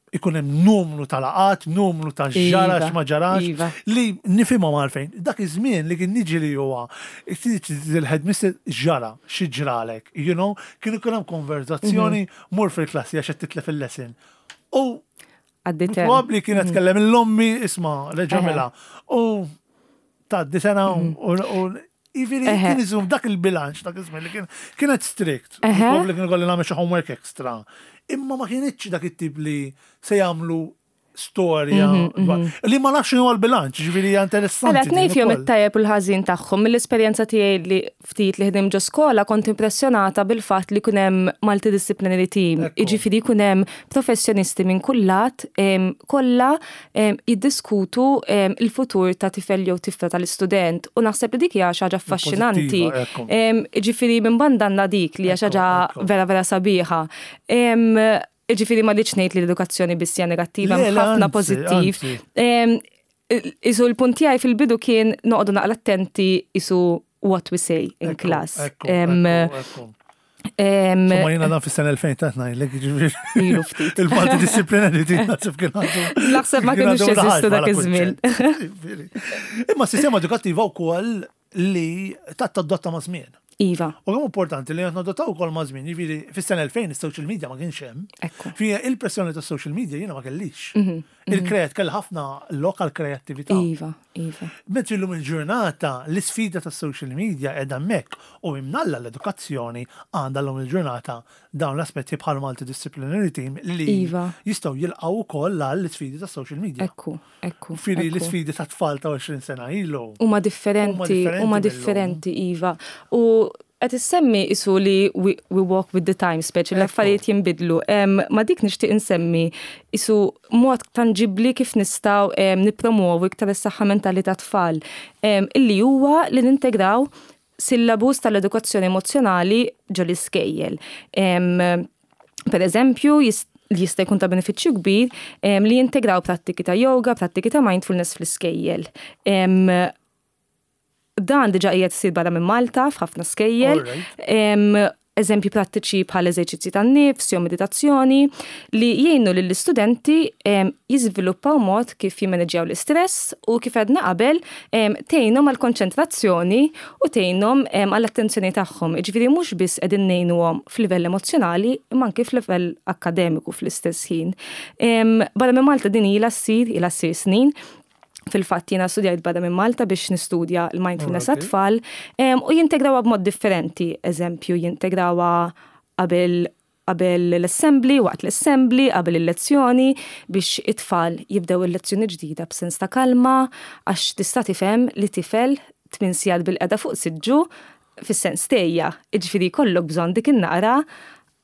ikun hemm numru ta' laqat, numru ta' ġara Iva, ma ġarax, iva. li nifhimhom għalfejn. Dak iż-żmien li kien niġi li huwa il-headmistress ġara, xi ġralek, you know, kien ikun hemm konverzazzjoni, mur fil-klassi għax qed titlef il-lesson. U Għaddi term. Probabbli kienet tkellem l-ommi isma' reġamela. U tgħaddi sena u u jiġifieri Eħe. kien iżum dak il-bilanċ dak iż-żmien li kien kienet strict. Eħe. Probabbli kien ikolli nagħmel xi homework extra. Imma ma kienitx dak it-tip li se jagħmlu storja dwar- li ma nafx x'inhu l-bilanċ, ġifieri hija interessanti. Għala, din tnejn fihom ukoll. it-tajjeb u l-ħażin tagħhom. Mill-esperjenza tiegħi li ftit li ħdim ġo skola kont impressjonata bil-fatt li kun hemm multidisciplinary team. Ekku. Jiġifieri kun hemm professjonisti minn kull lat em, kollha em, jiddiskutu em, il-futur ta' tifel jew tifla tal-istudent u naħseb li dik hija xi ħaġa affaxxinanti. Pożittiva, ekku. Em, Jiġifieri minn banda għandna dik li hija xi Ekku, ħaġa ekku. vera vera sabiħa. Em, Jiġifieri ma rridx ngħid li l-edukazzjoni biss hija negattiva, Le, hemm le, ħafna anzi, pożittiv. anzi. Em, Isu l-punt tiegħi fil-bidu kien noqogħdu naqra attenti isu what we say in Ekku, class. ekku, Em, ekku, ekku. em, Insomma, jiena dan fis-sena elfejn ta' ngħidlek, ġifieri. Ilu ftit. Il-multidisciplinary team naħseb kien għadu. Naħseb ma kien kienux għadu jeżistu raħal dak bħala iż-żmien. kunċett. Ġifieri. Imma s-sistema edukattiva wkoll li tat tadotta ma' żmien. Iva, U kemm importanti li qed nadottaw ukoll ma' żmien, jiġifieri fis-sena elfejn is-social media ma kienx hemm. Ekku. Fija il-pressjoni tas social media jiena ma kellix. Il-kreat kell ħafna lokal kreattività. Iva, iva. Mentri llum il-ġurnata l-isfida tas social media qiegħda hemmhekk u imnalla l-edukazzjoni għandha llum il-ġurnata dawn l-aspetti bħal multidisciplinary team li Iva. jistgħu jilqgħu ukoll għall-isfidi tas social media. Ekku, ekku. Firi ekku. l-isfidi ta' tfal ta' għoxrin sena ilu. Huma differenti, differenti huma mill-lum. differenti, Iva. U qed issemmi isu li we, we walk with the times, speċi l-affarijiet jinbidlu. Em, ma dik nixtieq insemmi isu mod tangibli kif nistgħu em, nippromovu iktar is-saħħa mentali ta' tfal, em, illi huwa li nintegraw syllabus tal-edukazzjoni emozjonali ġo l-iskejjel. Em, Per eżempju, jis- li jista' jkun ta' benefiċċju kbir em, li jintegraw prattiki ta' yoga, prattiki ta' mindfulness fl-iskejjel. Em, Dan diġa qiegħed isir barra minn Malta f'ħafna skejjel. Alright. Em, Eżempji prattiċi bħal eżerċizzi tan-nifs jew meditazzjoni li jgħinu lill-istudenti em, jiżviluppaw mod kif jimmaneġġjaw l-istress u kif għedna qabel em, tgħinhom għall-konċentrazzjoni u tgħinhom em, għall-attenzjoni tagħhom. Jiġifieri mhux biss qegħdin ngħinuhom f'livell emozzjonali imma anke f'livell akkademiku fl-istess ħin. Em, Barra minn Malta din ilha ssir, ilha ssir snin, Fil-fatt jiena studjajt barra minn Malta biex nistudja l-mindfulness Alright. għat-tfal em, u jintegrawha b'mod differenti. Eżempju, jintegrawha qabel qabel l-assembly, waqt l-assembly, qabel il-lezzjoni, biex it-tfal jibdew il-lezzjoni ġdida b'sens ta' kalma, għax tista' tifhem li tifel tmien sigħat bilqiegħda fuq siġġu fis-sens tgħejja. Jiġifieri jkollok bżonn dik in-naqra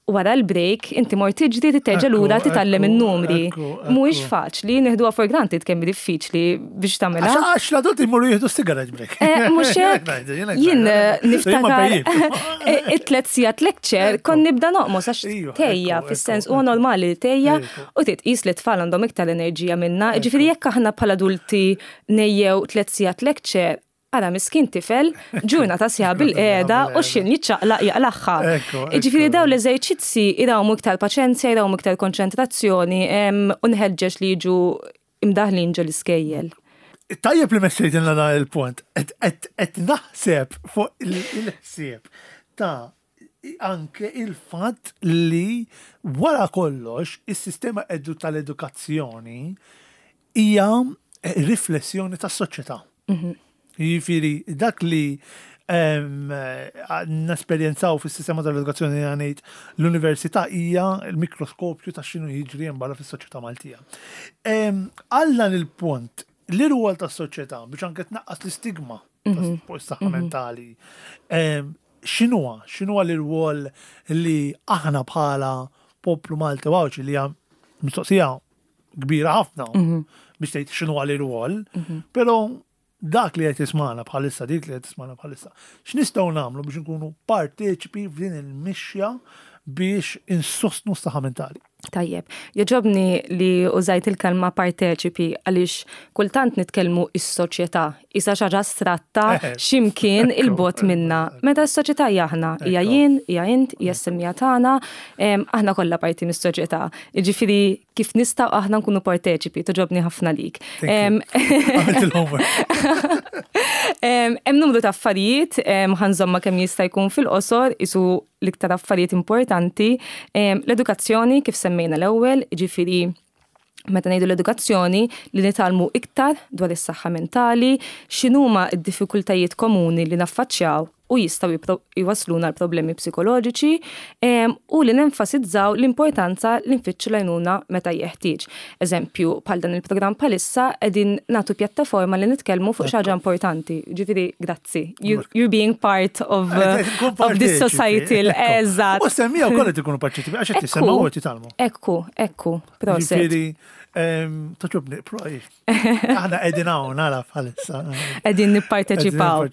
wara l-break inti mort tiġri titerġa' Ekku, lura titgħallem ekku, in-numri. ekku, Mhuwiex ekku. faċli, neħduha for granted kemm hi diffiċli biex tagħmilha. Għax għax l-adulti jmorru jieħdu cigarette break. Eh, Mhux hekk. Jien eh, niftakar eh, it-tlet sigħat lecture kon nibda noqmos għax Iva, tgħejja ekku, fis-sens ekku, huwa ekku. normali li tgħejja Ekku. u titqis li tfal għandhom iktar enerġija minna. Ġifieri jekk aħna bħala adulti ngħejjew tliet sigħat lecture, ara miskin tifel, ġurnata sħiħa bilqiegħda u x'ħin jiċċaqlaq jaqlagħha. Ekku, Ġifieri ekku. dawn l-eżerċizzi jrawmu iktar paċenzja, jrawmu iktar konċentrazzjoni em, u nħeġġeġ li jiġu imdaħlin ġo l-iskejjel. Tajjeb li messejtilna dan il-punt. Et naħseb fuq il-ħsieb ta' anke il-fatt li wara kollox is-sistema edu tal-edukazzjoni hija riflessjoni tas-soċjetà. Jiġifieri dak li em, nesperjenzaw fis-sistema tal-edukazzjoni għanejt l-università hija l-mikroskopju ta' x'inhu jiġri hemm barra fis-soċjetà Maltija. Em, Għal dan il-punt, l-irwol tas-soċjetà biex anke tnaqqas l-istigma fuq is-saħħa mentali. em, X'inhuwa? X'inhuwa l-irwol li aħna bħala poplu Malti u Għawdxi li hija mistoqsija kbira ħafna biex tgħid x'inhuwa l-irwol, però dak li qed jismana bħalissa, dik li qed tismana bħalissa, x'nistgħu nagħmlu biex nkunu parteċipi f'din il-mixja biex insostnu s-saħħa mentali. Tajjeb, jogħġobni li użajt il-kelma parteċipi għaliex kultant nitkellmu is-soċjetà, isa xi ħaġa astratta x'imkien il-bogħod minna. Meta s-soċjetà hija aħna, hija Ekku. jien, hija int, hija s-semmiegħa tagħna, em, aħna kollha parti mis-soċjetà. Jiġifieri kif nistgħu aħna nkunu parteċipi, togħġobni ħafna lik. Thank you. Em, Għamilt il-homework. Em, Hemm numru ta' affarijiet, em, ħa nżommha kemm jista' jkun fil-qosor, isu l-iktar affarijiet importanti. Em, L-edukazzjoni kif semmejna l-ewwel, ġifieri Meta ngħidu l-edukazzjoni, li nitgħallmu iktar dwar is-saħħa mentali, x'inhuma d-diffikultajiet komuni li naffaċċjaw u jistgħu jwasluna l-problemi psikoloġiċi u li nenfasizzaw l-importanza li nfittxu l-għajnuna meta jeħtieġ. Eżempju, bħal dan il-programm bħalissa qegħdin nagħtu pjattaforma li nitkellmu fuq xi ħaġa importanti. Ġifieri, grazzi. You're being part of, uh, of this society. Eżatt. U semmiegħa wkoll qed ikunu parteċipi għax qed tisemgħu u qed jitgħallmu. Ekku, ekku, proset. Ġifieri, togħġobni, aħna qegħdin hawn nara bħalissa. Qegħdin nipparteċipaw.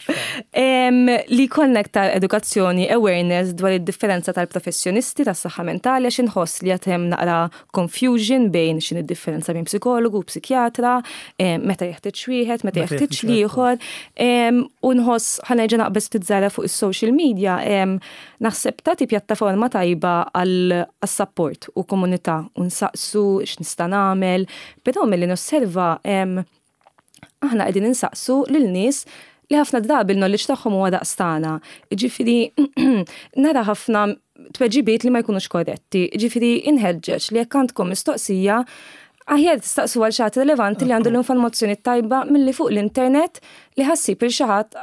Li jkollna iktar edukazzjoni, awareness dwar id-differenza tal-professjonisti tas-saħħa mentali, għax inħoss li hemm naqra confusion bejn x'inhi d-differenza bejn psikologu u psikjatra, meta jeħtieġ wieħed, meta jeħtieġ l-ieħor. U nħoss, ħa nerġa' naqbeż ftit fuq is-social media, naħseb tagħti pjattaforma tajba għal-support u komunità u nsaqsu x'nista' nagħmel, però milli nosserva aħna qegħdin insaqsu lil nies li ħafna drabi l-knowledge tagħhom huwa daqstana. Ġifieri nara ħafna tweġibiet li ma jkunux korretti. Ġifieri inħeġġeġ li jekk għandkom mistoqsija, aħjar tistaqsu għal xi ħadd relevanti li għandu l-informazzjoni tajba milli fuq l-internet li ħa ssib lil xi ħadd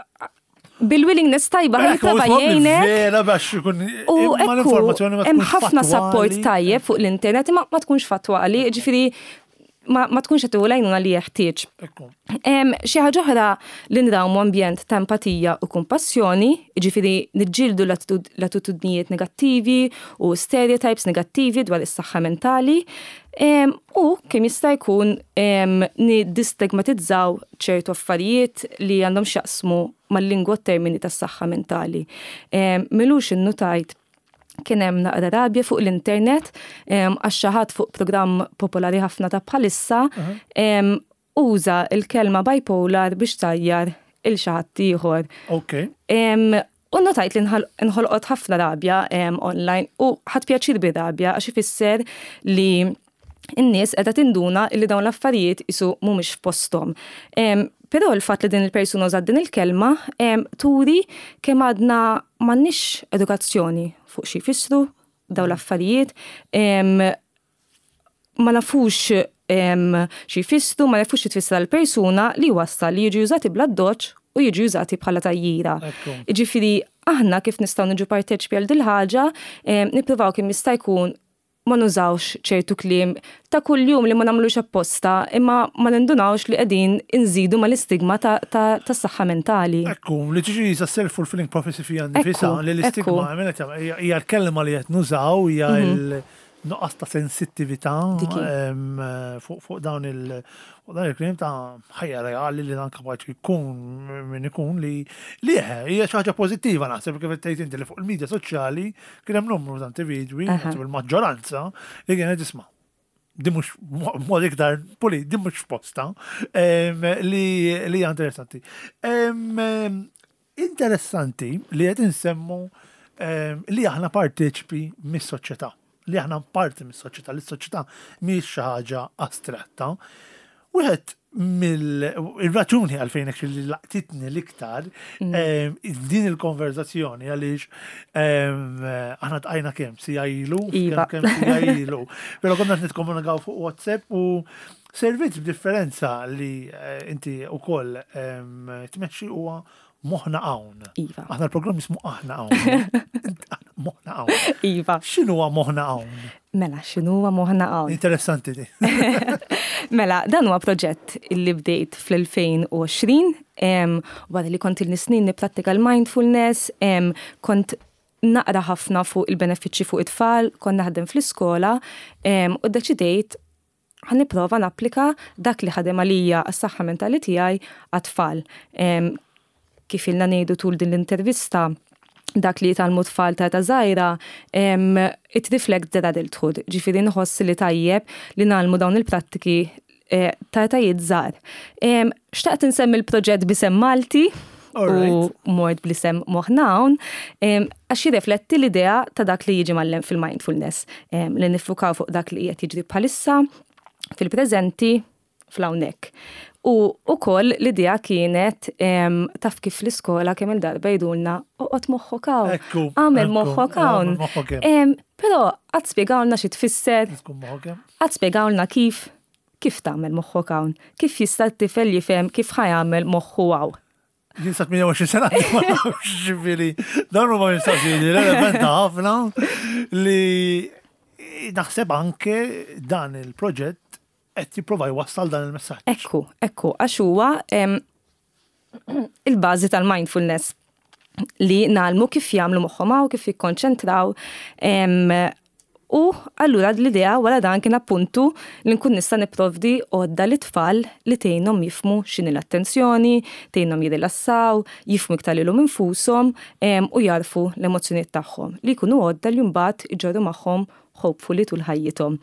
bil-willingness tajba ħa jipprova jgħinek. Vera biex ikun U ekku, hemm ħafna support tajjeb fuq l-internet imma ma tkunx fattwali, ġifieri ma, ma tkunx qed l-għajnuna li jeħtieġ. Xi ħaġa oħra li nrawmu ambjent ta' empatija u kumpassjoni, ġifieri niġġieldu l-attitudnijiet negattivi u stereotypes negattivi dwar is-saħħa mentali, u kemm jista' jkun nidistigmatizzaw ċertu affarijiet li għandhom x'jaqsmu mal-lingwa, termini tas-saħħa mentali. M'ilux innutajt kien hemm naqra rabja fuq l-internet għax xi ħadd fuq programm popolari ħafna ta' bħalissa uża il-kelma bipolar biex tgħajjar lil xi ħadd ieħor. Ok. U notajt li nħolqot ħafna rabja online u ħadt pjaċir bir-rabja għax ifisser li n-nies qiegħda tinduna li dawn l-affarijiet isu mhumiex f'posthom. Però l-fatt li din il-persuna użat din il-kelma turi kemm għadna m'għandniex edukazzjoni fuq xi jfissru dawn l-affarijiet, ma nafux xi jfissru, ma nafux xi tfisser l-persuna, li wassal li jiġu użati bl-addoċċ u jiġu użati bħala tgħajjira. Ġifieri, aħna kif nistgħu niġu parteċpi għal dil-ħaġa, nippruvaw kemm jista' jkun ma nużawx ċertu kliem ta' kuljum li ma nagħmlux apposta imma ma nindunawx li qegħdin inżidu mal-istigma ta' saħħa mentali. Ekku, li tiġi sa self-fulfilling prophecy fija nifisha, li l-istigma hija l-kelma li qed nużaw, hija mhm. il-nuqqas ta' sensittività fuq dawn il- u dan il-kliem ta' ħajja reali li dan kapaċi jkun min ikun li li hija xi ħaġa pożittiva, naħseb, kif tgħid inti, li fuq il-medja soċjali kien hemm numru ta' individwi, il-maġġoranza, li kienet tisma', di mhux mod iktar puli, di mhux posta, li li hija interessanti. Interessanti li qed insemmu li aħna parteċipi mis-soċjetà, li aħna parti mis-soċjetà, li s-soċjetà mhix xi ħaġa astratta. Wieħed mill-raġuni għalfejn li laqtitni l-iktar mm. din il-konverzazzjoni, għaliex aħna ltqajna kemm siegħa ilu, iva. kemm siegħa ilu. Però konna nitkomunikaw fuq WhatsApp u servizz b'differenza li eh, inti ukoll tmexxi huwa Moħna Hawn. Iva. Aħna l-programm jismu Aħna Hawn. Moħna Hawn. Iva. X'inhu Moħna Hawn? Mela, x'inhu Moħna Hawn? Interessanti di. Mela, dan huwa proġett illi bdejt fl-elfejn u għoxrin, wara li kont ili snin nipprattika l-mindfulness, kont naqra ħafna fuq il-benefiċċji fuq it-tfal, kont naħdem fl-iskola u deċidejt ħa nipprova napplika dak li ħadem għalija għas-saħħa mentali tiegħi għat-tfal. Kif ilna ngħidu tul din l-intervista, dak li jitgħallmu tfal ta' età żgħira, it reflects their adulthood. Ġifieri nħoss li tajjeb li ngħallmu dawn il-prattiki eh, ta' etajiet żgħar. Xtaqt insemmi l-proġett b'isem Malti u mort bl-isem Moħna Hawn, għax jirrifletti l-idea ta' dak li jiġi mgħallem fil-mindfulness, li niffukaw fuq dak li qiegħed jiġri bħalissa, fil-preżenti, fl-hawnhekk. U ukoll l-idea kienet, taf kif l-iskola kemm il-darba jgħidulna oqgħod moħħok hawn, għamel moħħok hawn. Però qatt spjegawlna xi tfisser, qatt spjegawlna kif. Kif tagħmel moħħok hawn? Kif jista' t-tifel jifhem kif ħa jagħmel moħħu hawn? Jien sa tmienja u għoxrin sena, ma nafx, ġifieri, dawn huma mistoqsijiet li relevanta ħafna li naħseb anke dan il-proġett qed jipprova jwassal dan il-messaġġ. Ekku, ekku, għax huwa em, il-bażi tal-mindfulness li ngħallmu kif jagħmlu moħħhom hawn, kif jikkonċentraw. em, U allura l-idea wara dan kien appuntu li nkun nista' nipprovdi għodda lit-tfal li tgħinhom jifhmu x'inhi l-attenzjoni, tgħinhom jirrilassaw, jifhmu iktar lilhom infushom em, u jarfu l-emozzjonijiet tagħhom li jkunu għodda li mbagħad iġorru magħhom hopefully tul ħajjithom.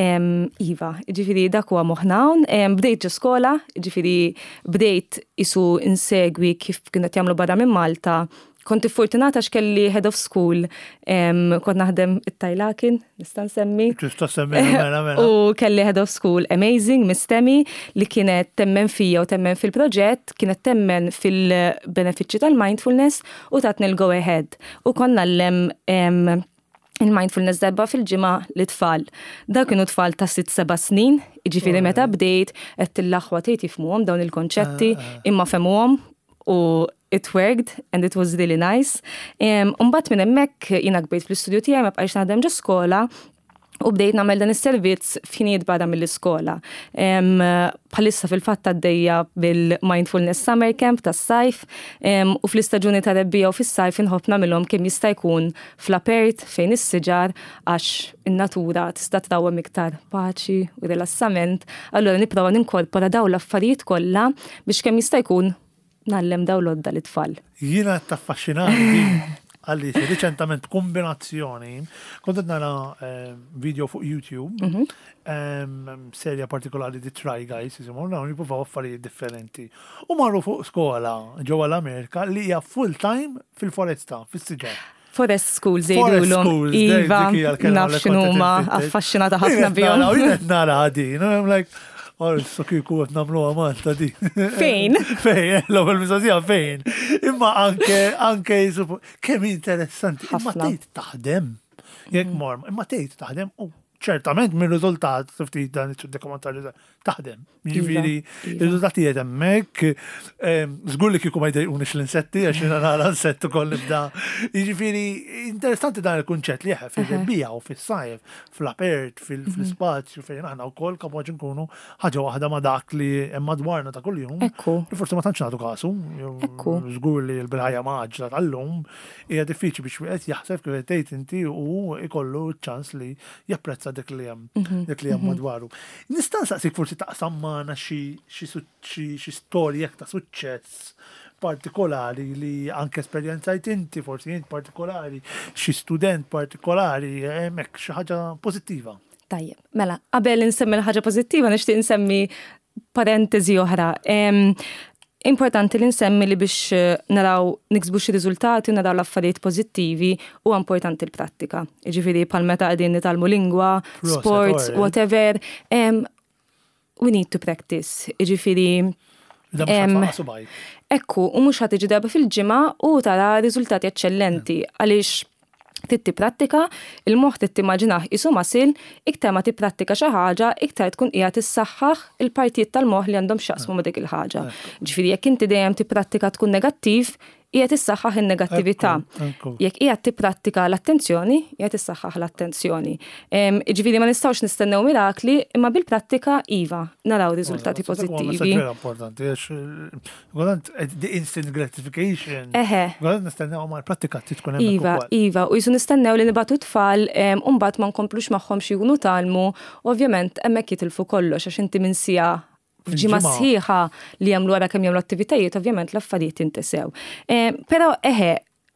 Em, Iva, ġifieri dak huwa moħħna hawn, em, bdejt ġo skola, ġifieri bdejt isu insegwi kif kienet jagħmlu barra minn Malta. Kont fortunata għax kelli head of school, em, kont naħdem it-Tajlakin, nista' nsemmi. Tista' semmi, mela, mela. U kelli head of school amazing, Miss Temi, li kienet temmen fija u temmen fil-proġett, kienet temmen fil-benefiċċji tal-mindfulness u tatni l-go ahead. U konna ngħallem em, il-mindfulness darba fil-ġimgħa lit-tfal. Da kienu tfal ta' sitt seba' snin, jiġifieri meta bdejt, qed l-aħwa tgħid jifhmuhom dawn il-konċetti, imma fehmuhom u it worked and it was really nice. Um, Umbagħad minn hemmhekk jiena kbirt fl-istudju tiegħi, ma bqajx naħdem ġo skola u bdejt nagħmel dan is-servizz f'ħinijiet barra mill-iskola. Um, Bħalissa fil-fatt għaddejja bil-Mindfulness Summer Camp tas-sajf um, u fl-istaġuni ta' rebbiegħa u fis-sajf inħobb nagħmilhom kemm jista' jkun fl-apert fejn is-siġar, għax in-natura tista' trawwem iktar paċi u rilassament. Allura nipprova ninkorpora dawn l-affarijiet kollha biex kemm jista' jkun ngħallem dawn l-għodda lit-tfal. Jiena taffaxxinani din għaliex riċentament kombinazzjoni kont qed nara eh, video fuq YouTube, Mhm. em, serja partikolari di Try Guys, jisimhom, dawn jippruvaw affarijiet differenti. U marru fuq skola ġewwa l-Amerika li hija full time fil-foresta, fis-siġar. Forest schools Forest jgħidulhom. schools, Iva, dik hija l-kelma naf li kont x'inhuma, qed infittex. affaxxinata ħafna bihom. Jien qed nara din, u I'm like, "Oh, so kieku qed nagħmluha Malta din." Fejn? Fejn, l-ewwel mistoqsija fejn. Imma anke anke jisupu- kemm interessanti. Imma Ħafna. tgħid taħdem. Jekk mor, imma tgħid taħdem u ċertament minn riżultat ftit dan id-dokumentarju taħdem. Jiġifieri Iva. ir-riżultati qed hemmhekk, em, żgur li kieku ma jdejqunix l-insetti għax jiena nara insett ukoll nibda. Jiġifieri interessanti dan il-kunċett li jeħe fil-rebbiegħa u fis-sajf, fl-apert, fil- fl-ispazju fejn aħna wkoll kapaċi nkunu ħaġa waħda ma' dak li hemm madwarna ta' kuljum. Ekku. Li forsi ma tantx nagħtu kasu. Jew Ekku. Żgur li l-bil-ħajja mgħaġġla tal-lum hija diffiċli biex wieħed jaħseb kif qed tgħid inti u ikollu ċans li japprezza dik li hemm dik li hemm madwaru. Nista' nsaqsik forsi taqsam magħna xi xi su- xi xi storja ta' suċċess partikolari li anke esperjenzajt inti, forsi int partikolari, xi student partikolari, hemmhekk xi ħaġa pożittiva. Tajjeb, mela, qabel insemmi l-ħaġa pożittiva nixtieq insemmi parentesi oħra. Em, Importanti li nsemmi li biex eh, naraw niksbu xi riżultati u naraw l-affarijiet pożittivi huwa importanti l-prattika. Jiġifieri bħal meta qegħdin nitgħallmu lingwa, Proset, sports, alright. whatever. Em, we need to practice. Jiġifieri Da mhux Em, ħa tfaqqa' subgħajk. Ekku, u mhux ħa tiġi darba fil-ġimgħa u tara riżultati eċċellenti, għaliex trid tipprattika, il-moħħ trid timmaġinah qisu muscle, iktar ma tipprattika xi ħaġa, iktar tkun qiegħed tissaħħaħ il-partijiet tal-moħħ li għandhom x'jaqsmu ma' dik il-ħaġa. Ġifieri jekk inti dejjem tipprattika tkun negattiv, qiegħed tissaħħaħ in-negattività. Ekku, ekku. Jekk qiegħed tipprattika l-attenzjoni, qiegħed tissaħħaħ l-attenzjoni. Em, Ġifieri ma nistgħux nistennew mirakli, imma bil-prattika iva, naraw riżultati pożittivi. Vera importanti, għax għodant the instant gratification. Eħe. Għodant nistennew ma l-prattika trid tkun hemmhekk Iva, ukoll. iva, u jisu nistennew li nibagħtu tfal, em, u mbagħad ma nkomplux magħhom xi jkunu tgħallmu, ovvjament hemmhekk jitilfu kollox għax inti minn siegħa f'ġimgħa Fil-ġimgħa. sħiħa li jagħmlu wara kemm jagħmlu attivitajiet, ovvjament l-affarijiet jintesew. Em, Però eħe,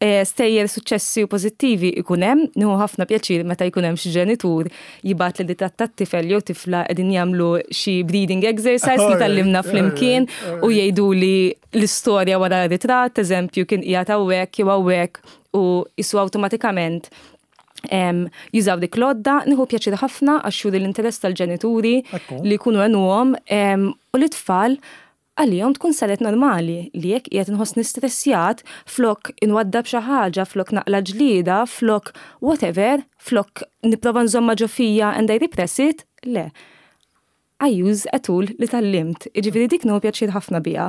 eh, stejjer suċċessi u pożittivi ikun hemm, nieħu ħafna pjaċir meta jkun hemm xi ġenitur jibgħat li ritratt tat-tifel jew tifla qegħdin jagħmlu xi breathing exercise li Alright, tgħallimna flimkien alright, u jgħidu li l-istorja wara ritratt, eżempju, kien qiegħed hawnhekk jew hawnhekk u jisu awtomatikament em, jużaw dik l-għodda, nieħu pjaċir ħafna għax juri l-interess tal-ġenituri Ekku. li jkunu għenuhom em, u l-tfal għalihom tkun saret normali li jekk qiegħed inħossni stressjat, flok inwaddab xi ħaġa, flok naqla ġlida, flok whatever, flok nipprova nżomma ġo fija and I repress it, le. I use a tool li tgħallimt. Jiġifieri dik nieħu pjaċir ħafna biha.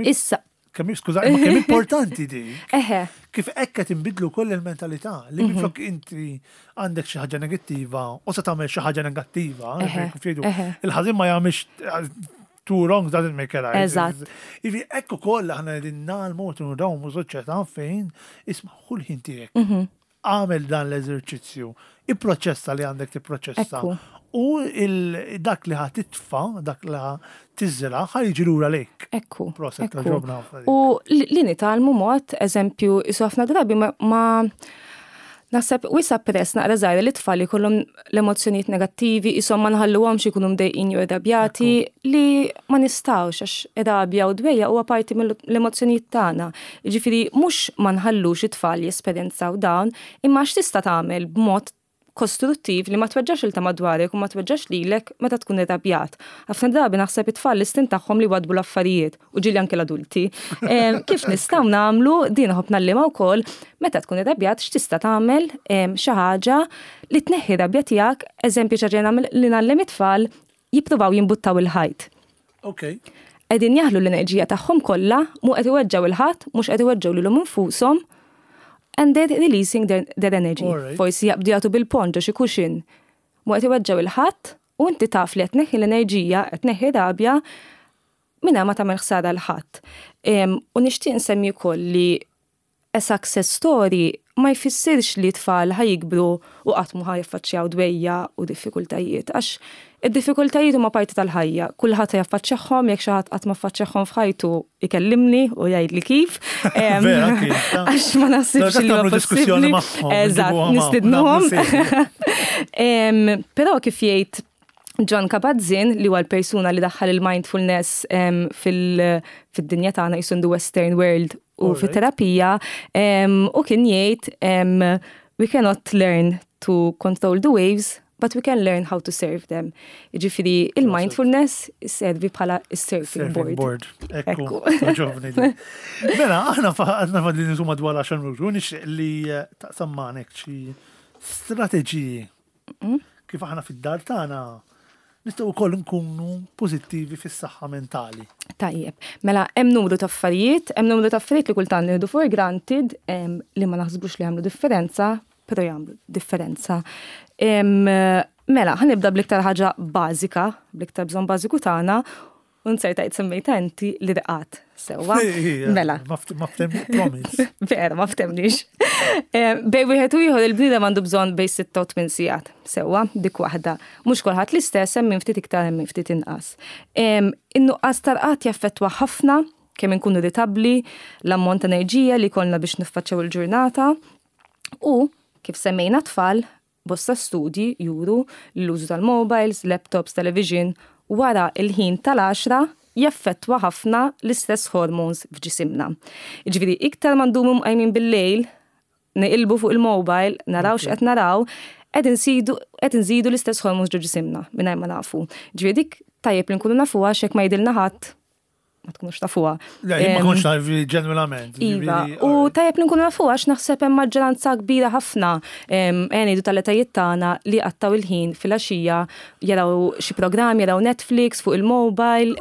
Issa. Kemm skuża, ma kemm importanti di. Eħe. Kif hekk qed inbidlu koll il-mentalità li mhm. minflok inti għandek xi ħaġa negattiva u se tagħmel xi ħaġa negattiva, kif jgħidu, il-ħażin ma jagħmilx two wrongs doesn't make a right. Eżatt. Ivi ekku koll aħna qegħdin nagħmlu u soċjetà fejn isma' ħu l-ħin tiegħek. Mhm. Għamel dan l-eżerċizzju, ipproċessa li għandek tipproċessa. U dak li ħa titfa, dak li ħa tiżra, ħa jiġi lura lejk. Ekku. Proset, ġobna. U li nitgħallmu mod, eżempju, isu ħafna drabi ma naħseb wisa press naqra żgħira li tfal jkollhom l-emozzjonijiet negattivi, isom ma nħalluhomx ikunu mdejqin jew irrabjati li ma nistgħux għax irrabja u dwejja huwa parti mill-emozzjonijiet tagħna. Jiġifieri mhux ma nħallux it-tfal jesperjenzaw dawn, imma x'tista' tagħmel b'mod kostruttiv li ma tweġġax il ta' madwarek u ma tweġġax lilek meta tkun irrabjat. Ħafna drabi naħseb it-tfal l-istint tagħhom li wadbu l-affarijiet u ġieli anke l-adulti. Kif nistgħu nagħmlu din nħobb ngħallimha wkoll meta tkun irrabjat x'tista' tagħmel xi ħaġa li tneħħi rabja tiegħek, eżempju xi ħaġa li ngħallem it-tfal jippruvaw jimbuttaw il-ħajt. Ok. Qegħdin jaħlu l-enerġija tagħhom kollha, mhu qed iweġġgħu il-ħadd, mhux qed iweġġgħu lilhom infushom, and they're releasing their, their energy. Forsi jaqbdu jagħtu bil-ponn ġo xi cushion. Mhu qed iweġġgħu il-ħadd u inti taf li qed tneħħi l-enerġija, qed tneħħi rabja mingħajr ma tagħmel ħsara 'l ħadd. U nixtieq nsemmi wkoll li a success story ma jfissirx li tfal ħa jikbru u qatt mu ħa jaffaċċjaw dwejja u diffikultajiet. Għax id-diffikultajiet huma parti tal-ħajja. Kulħadd jaffaċċjahom, jekk xi ħadd qatt ma ffaċċjahom f'ħajtu ikellimni u jgħidli kif. Għax ma naħsibx li huwa possibbli. Eżatt, nistidnuhom. Però kif jgħid Jon Kabat-Zinn, li huwa l-persuna li daħħal il-mindfulness fil-dinja tagħna jisun the Western world u fit-terapija, u kien jgħid we cannot learn to control the waves, but we can learn how to surf them. Jiġifieri il-mindfulness servi bħala surfing board. board. Ekku. Mela, aħna għadna fadli nisu madwar għaxar minuti, nixtieq li eh, taqsam magħna xi strateġiji mm. kif aħna fid-dar tagħna nistgħu wkoll nkunu pożittivi fis-saħħa mentali. Tajjeb, mela hemm numru ta' affarijiet, hemm numru ta' affarijiet li kultant nieħdu for granted li ma naħsbux li jagħmlu differenza, però jagħmlu differenza. Mela, ħa nibda bl-iktar ħaġa bażika, bl-iktar bżonn bażiku tagħna, u nsertajt semmejta inti li rqad. Sewwa. Mela. Ma promise. Vera, ma ftemniex. Bejn wieħed u ieħor il-bniedem għandu bżonn bejn sitta u tmien sigħat. Sewwa, dik waħda. Mhux kulħadd l-istess, hemm min ftit iktar hemm min ftit inqas. In-nuqqas tal-rqad jaffettwa ħafna kemm inkunu irritabbli, l-ammont ta' enerġija li kollna biex niffaċċjaw il-ġurnata u kif semmejna tfal, bosta studji juru l-użu tal-mobiles, laptops, television wara il-ħin tal-għaxra jaffettwa ħafna l-istess hormones f'ġisimna. Jiġifieri iktar ma ndumu mqajmin bil-lejl, neqilbu fuq il-mobile, naraw x'qed naraw, qed insidu qed nżidu l-istess hormones ġo ġisimna mingħajr ma nafu. Ġifieri dik tajjeb li nkunu nafuha x'hekk ma jgħidilna ħadd ma tkunux tafuha. Le, ma konx naf ġenwinament. Iva, u tajjeb li nkunu nafuha għax naħseb hemm maġġoranza kbira ħafna ngħidu tal-etajiet tagħna li qattaw il-ħin filgħaxija jaraw xi programm, jaraw Netflix fuq il-mobile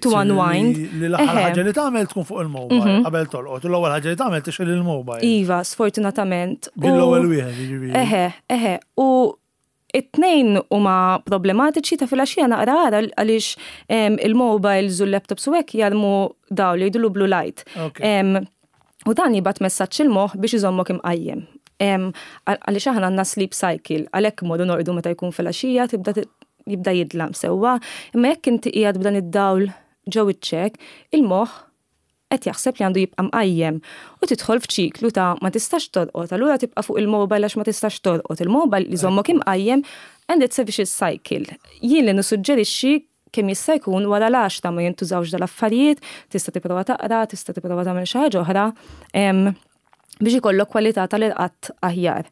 to unwind. Li l-aħħar ħaġa li tagħmel tkun fuq il-mobile mhm. qabel tolqot, u l-ewwel ħaġa li tagħmel tixgħel il-mobile. Iva, sfortunatament. Bil-ewwel wieħed, jiġifieri. Eħe, eħe, u it-tnejn huma problematiċi ta' filgħaxija naqra għara għaliex il-mobiles u l-laptops u hekk jarmu dawl li jgħidulu blue light. U dan jibgħat messaġġ il-moħħ biex iżommok imqajjem. Għaliex aħna għandna sleep cycle, għalhekk modu norqdu meta jkun filgħaxija tibda jibda jidlam sewwa, imma jekk inti qiegħed b'dan id-dawl ġo wiċċek, il-moħħ qed jaħseb li għandu jibqa' mqajjem u tidħol f'ċiklu ta' ma tistax torqod, allura tibqa' fuq il-mobile għax ma tistax torqod. Il-mobile li jżommok imqajjem and it's a vicious cycle. Jien li nissuġġerixxi kemm jista' jkun wara l-għaxra ma jintużawx dal-affarijiet, tista' tipprova taqra, tista' tipprova tagħmel xi ħaġa oħra biex ikollok kwalità tal-irqad aħjar.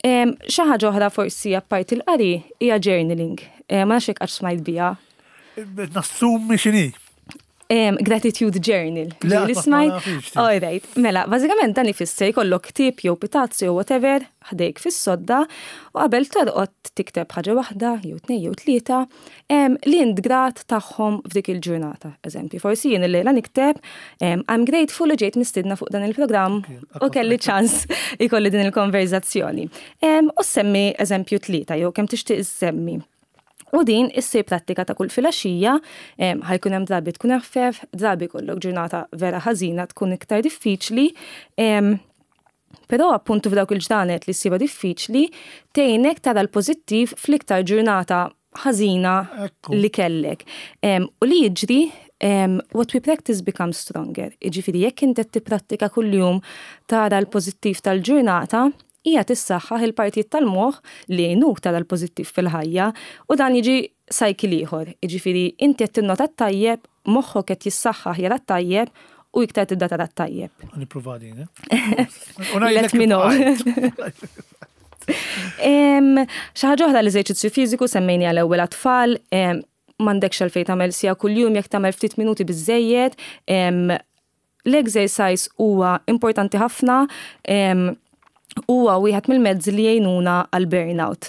Xi ħaġa oħra forsi apparti l-qari hija journaling. Ma nafx jekk qatt smajt biha. Nassumi x'inhi. Um, gratitude journal. Li smajt. All right. Mela, bażikament dan ifisser jkollok ktieb jew pitazzu jew whatever ħdejk fis-sodda u qabel torqod tikteb ħaġa waħda jew tnejn jew tlieta um, li int grat tagħhom f'dik il-ġurnata. Eżempju, forsi jien illejla nikteb um, I'm grateful li ġejt mistidna fuq dan il-programm u kelli ċans ikolli din il-konverzazzjoni. Um, u semmi eżempju tlieta jew kemm tixtieq semmi. U din issir prattika ta' kull filgħaxija, ħa jkun hemm drabi tkun eħfef, drabi jkollok ġurnata vera ħażina tkun iktar diffiċli. Però appuntu f'dawk il-ġranet li ssibha diffiċli, tgħinek tara l-pożittiv fl-iktar ġurnata ħażina li kellek. U li jiġri, what we practice becomes stronger. Jiġifieri jekk inti tipprattika kuljum tara l-pożittiv tal-ġurnata, hija tissaħħaħ il-partijiet tal-moħħ li jgħinuk tara l-pożittiv fil-ħajja u dan jiġi cycle ieħor. Jiġifieri inti qed tinnota t-tajjeb, moħħok qed jissaħħaħ jara t-tajjeb u iktar tibda tara t-tajjeb. Nipprova din, eh? Let me know. Xi ħaġa oħra, l-eżerċizzju fiżiku semmejni għal ewwel tfal, m'għandekx għalfejn tagħmel siegħa kuljum, jekk tagħmel ftit minuti biżejjed. L-exercise huwa importanti ħafna, huwa wieħed mill-mezzi li jgħinuna għal burnout.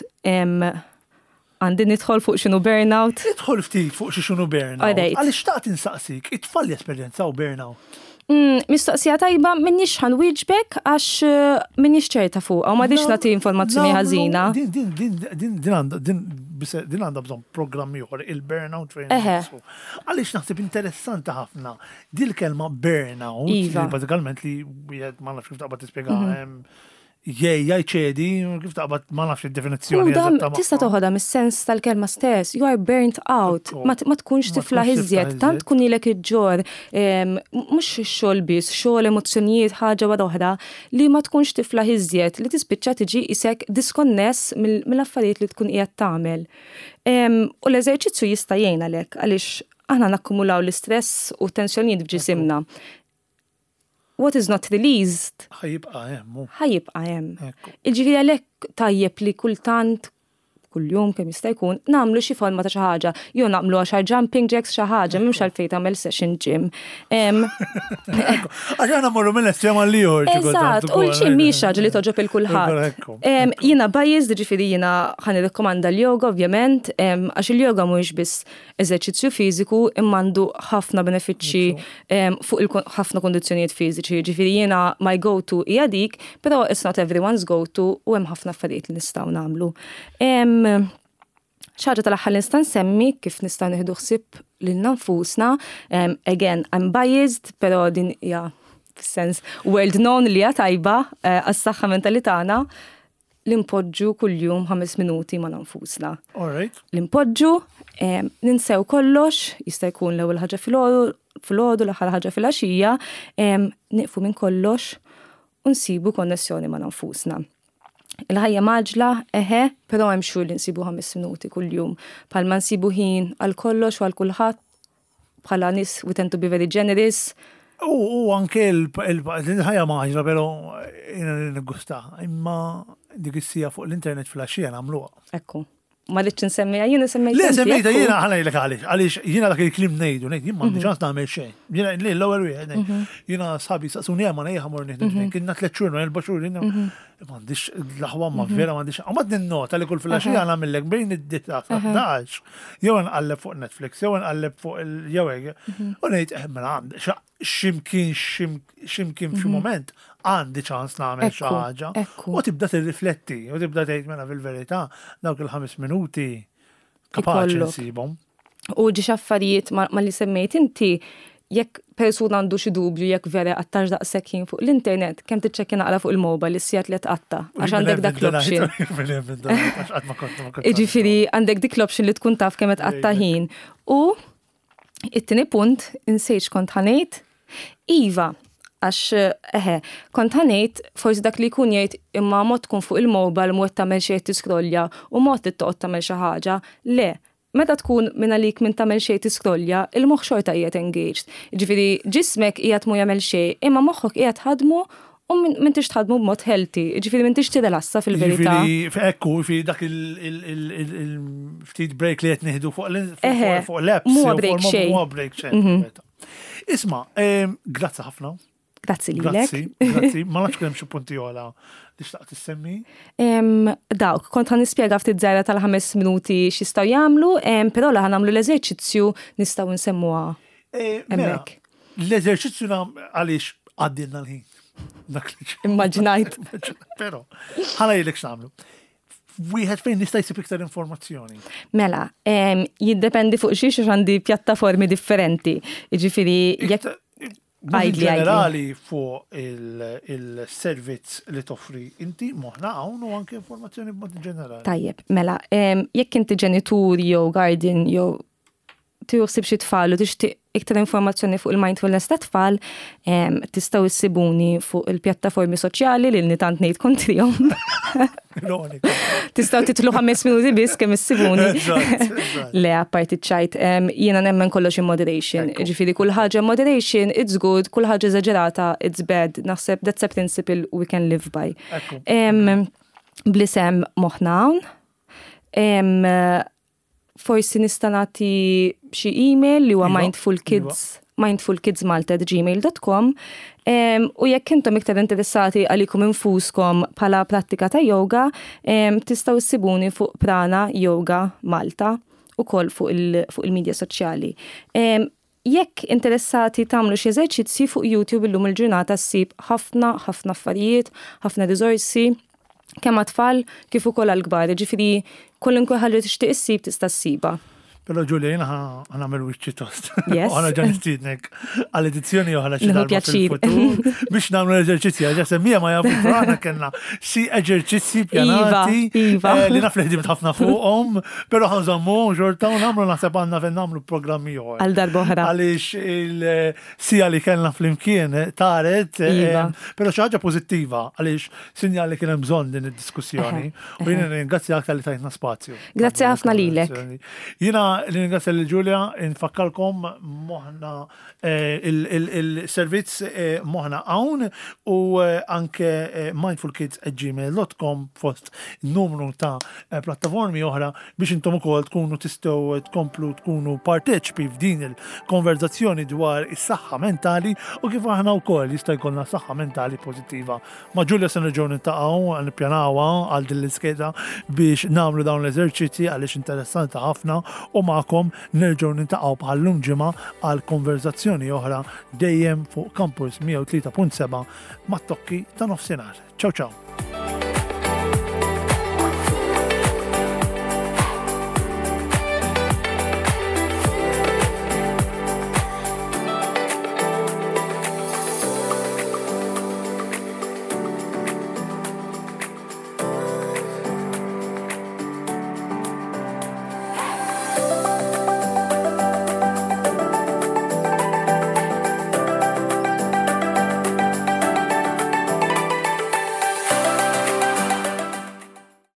Għandi nidħol fuq x'inhu burnout? Idħol ftit fuq x'inhu burnout. Għaliex xtaqt insaqsik, it-tfal jesperjenzaw burnout? Mm, mistoqsija tajba, m'iniex ħa nwieġbek għax eh, m'iniex ċerta fuq, u ma nagħti informazzjoni ħażina. Din din din din din għandha din din għandha bżonn programm ieħor, il-burnout fejn. Għaliex naħseb interessanti ħafna dil kelma burnout, iva. bażikament li wieħed ma nafx kif taqbad tispjega mhm. Jej, ċedi, kif taqbad, ma nafx id-definizzjoni. Tista' toħodha mis-sens tal-kelma stess, you are burnt out, ma tkunx tiflaħ iżjed, tant tkun ilek iġġorr, mhux xogħol biss, xogħol, emozzjonijiet, ħaġa wara oħra, li ma tkunx tiflaħ iżjed, li tispiċċa tiġi isek diskonness mill-affarijiet li tkun qiegħed tagħmel. U l-eżerċizzju jista' jgħin għalhekk, għaliex aħna nakkumulaw l-istress u tensjonijiet f'ġisimna. What is not released ħa jibqa' hemm. Ħa jibqa' hemm. Jiġifieri għalhekk tajjeb li kultant, kuljum kemm jista' jkun, nagħmlu xi forma ta' xi ħaġa, jew nagħmlu għaxar jumping jacks, xi ħaġa, m'hemmx għalfejn tagħmel session gym. Għax aħna morru minn estrem għal ieħor. Eżatt, u l-gym mhix ħaġa li togħġob il kulħadd. Jiena biased, ġifieri jiena ħa nirrakkomanda l-yoga ovvjament, għax il-yoga mhuwiex biss eżerċizzju fiżiku imma għandu ħafna benefiċċji fuq ħafna kondizzjonijiet fiżiċi. Ġifieri jiena my go-to hija dik, però it's not everyone's go-to u hemm ħafna affarijiet li nistgħu nagħmlu. Xi ħaġa tal-aħħar li nista' nsemmi kif nistgħu nieħdu ħsieb lilna nfusna, again, I'm biased, però din hija fis-sens world known li hija tajba eh, għas-saħħa mentali tagħna, li npoġġu kuljum ħames minuti ma' nfusna. All right. Li npoġġu, ninsew kollox, jista' jkun l-ewwel ħaġa filgħodu, l-aħħar ħaġa filgħaxija, nieqfu minn kollox u nsibu konnessjoni ma' nfusna. Il-ħajja mgħaġġla, eħe, però hemm xhur li nsibu ħames minuti kuljum. Bħalma nsibu ħin għal kollox u għal kulħadd, bħala nies we tend to be very generous. U anke il-ħajja mgħaġġla, però jiena niggusta. Imma dik is-siegħa fuq l-internet filgħaxija nagħmluha. Ekku. Ma rridx nsemmiha jiena, semmejt. Le, semmejta jiena, ħa ngħidlek għaliex, għaliex jiena dak il-kliem ngħidu, ngħid jien m'għandi ċans nagħmel xejn. Jiena li l-ewwel wieħed ngħid. Jiena sħabi saqsuni ma ngħid ħa mmur nieħdu drink, kienna tliet xhur, erba' xhur, jiena m'għandix l-aħwa, ma vera m'għandix. U ma ninnota li kull filgħaxija nagħmellek bejn id-disgħa sa ħdax, jew nqalleb fuq Netflix, jew nqalleb fuq il jew hekk. U ngħid eh, mela għandi ximkien ximkien f'xi moment għandi ċans nagħmel xi ħaġa. U tibda tirrifletti, u tibda tgħid mela fil-verità dawk il-ħames minuti kapaċi nsibhom. U ġiex affarijiet ma li semmejt inti, jekk persuna għandu xi dubju jekk vera qattax daqshekk ħin fuq l-internet, kemm tiċċekkja naqra fuq il-mobile is-sigħat li tqatta, għax għandek dak l-option. Jiġifieri għandek dik l-option li tkun taf kemm tqatta ħin. U it-tieni punt, insejt kont ħa ngħid, iva, għax eħe, kont ħa ngħid forsi dak li jkun jgħid imma mod tkun fuq il-mobile mod tagħmel xejn tiskrollja u mod toqgħod tagħmel xi ħaġa. Le, meta tkun minn għalik minn tagħmel xejn tiskrollja, il-moħħ xorta qiegħed engaged. Ġifieri ġismek qiegħed mu jagħmel xejn, imma moħħok qiegħed ħadmu u m'intix tħadmu b'mod healthy, ġifieri m'intix tirrelassa fil-verità. Ġifieri, ekku, fi dak il-ftit break li qed nieħdu fuq l-apps. Mhu break xejn. Mhu break xejn. Isma', em, grazzi ħafna. Grazzi lilek. Grazzi, grazzi. Ma nafx kemm xi punti oħra li xtaqt issemmi. Em, dawk, kont ħa nispjega ftit żgħira tal-ħames minuti x'jistgħu jagħmlu, em, però la ħa nagħmlu l-eżerċizzju nistgħu nsemmuha Eh, Mela, hemmhekk. l-eżerċizzju nam għaliex għaddilna l-ħin. Dak li Immaġinajt. Però, ħa ngħidlek x'nagħmlu. Wieħed fejn nista' jsib iktar informazzjoni. Mela, em, jiddependi fuq xiex għax għandi pjattaformi differenti. Jiġifieri, jekk Iktar- Mod Għidli, ġenerali fuq il- il-servizz li toffri inti Moħħna Hawn u anke informazzjoni b'mod ġenerali. Tajjeb, mela, em, jekk inti ġenitur jew guardian jew tieħu xi tfal u tixtieq iktar informazzjoni fuq il-mindfulness ta' tfal, em, tistgħu issibuni fuq il-pjattaformi soċjali li nitant ngħid kontrihom. Ironika. Tistgħu titlu ħames minuti biss kemm issibuni. Eżatt, eżatt. Le, apparti ċajt, em, jiena nemmen kollox in moderation. Ekku. Ġifieri kull ħaġa in moderation, it's good, kull ħaġa eżaġerata, it's bad. Naħseb that's a principle we can live by. Ekku. Em, Bl-isem Moħħna Hawn. Em, Forsi nista' nagħti xi email li huwa Iva, mindfulkids mindfulkidsmalta at gmail dot com. Em, u jekk intom iktar interessati għalikom infuskom bħala prattika ta' yoga, em, tistgħu ssibuni fuq Prana Yoga Malta ukoll fuq il- fuq il-medja soċjali. Em, Jekk interessati tagħmlu xi eżerċizzji, fuq YouTube illum il-ġurnata ssib ħafna ħafna affarijiet, ħafna riżorsi kemm għat-tfal kif ukoll għall-kbar. Ġifieri kwalunkwe ħaġa tixtieq issib tista' ssiba. Però Giulia, jiena ħa nagħmel wiċċi tost. Yes. Għana ġan nistiednek għal-edizzjoni oħra xi Nieħu darba pjaċir. fil-futur biex nagħmlu l-eżerċizzji, għax semmija ma jafu, però aħna kellna xi eżerċizzji pjanati Iva, iva. eh, li naf li ħdimt ħafna fuqhom, però ħa nżommu xorta u nagħmlu, naħseb għandna fejn nagħmlu programmi oħra. Għal darba oħra. Għaliex il-siegħa li kellna flimkien taret, eh, Iva. però xi ħaġa pożittiva għaliex sinjal li kien hemm bżonn din id-diskussjoni. U jiena ringrazzjak talli tajtna spazju. Grazzi ħafna lilek. Jiena ringrazzja lil Giulia, infakkarkom Moħħna eh, il- il- il-servizz eh, Moħħna Hawn u eh, anke eh, mindfulkids at gmail dot com fost numru ta' eh, plattaformi oħra biex intom ukoll tkunu tistgħu tkomplu tkunu parteċpi f'din il-konverzazzjoni dwar is-saħħa mentali u kif aħna wkoll jista' jkollna saħħa mentali pożittiva. Ma' Giulia se nerġgħu niltaqgħu, nippjanawha għal din l-iskeda biex nagħmlu dawn l-eżerċizzji għaliex interessanti ħafna, u magħkom nerġgħu niltaqgħu bħal-lum ġimgħa għal konverzazzjoni oħra dejjem fuq Campus mija u tlieta punt seba' mat-tokki ta' nofsinhar. Ciao ciao.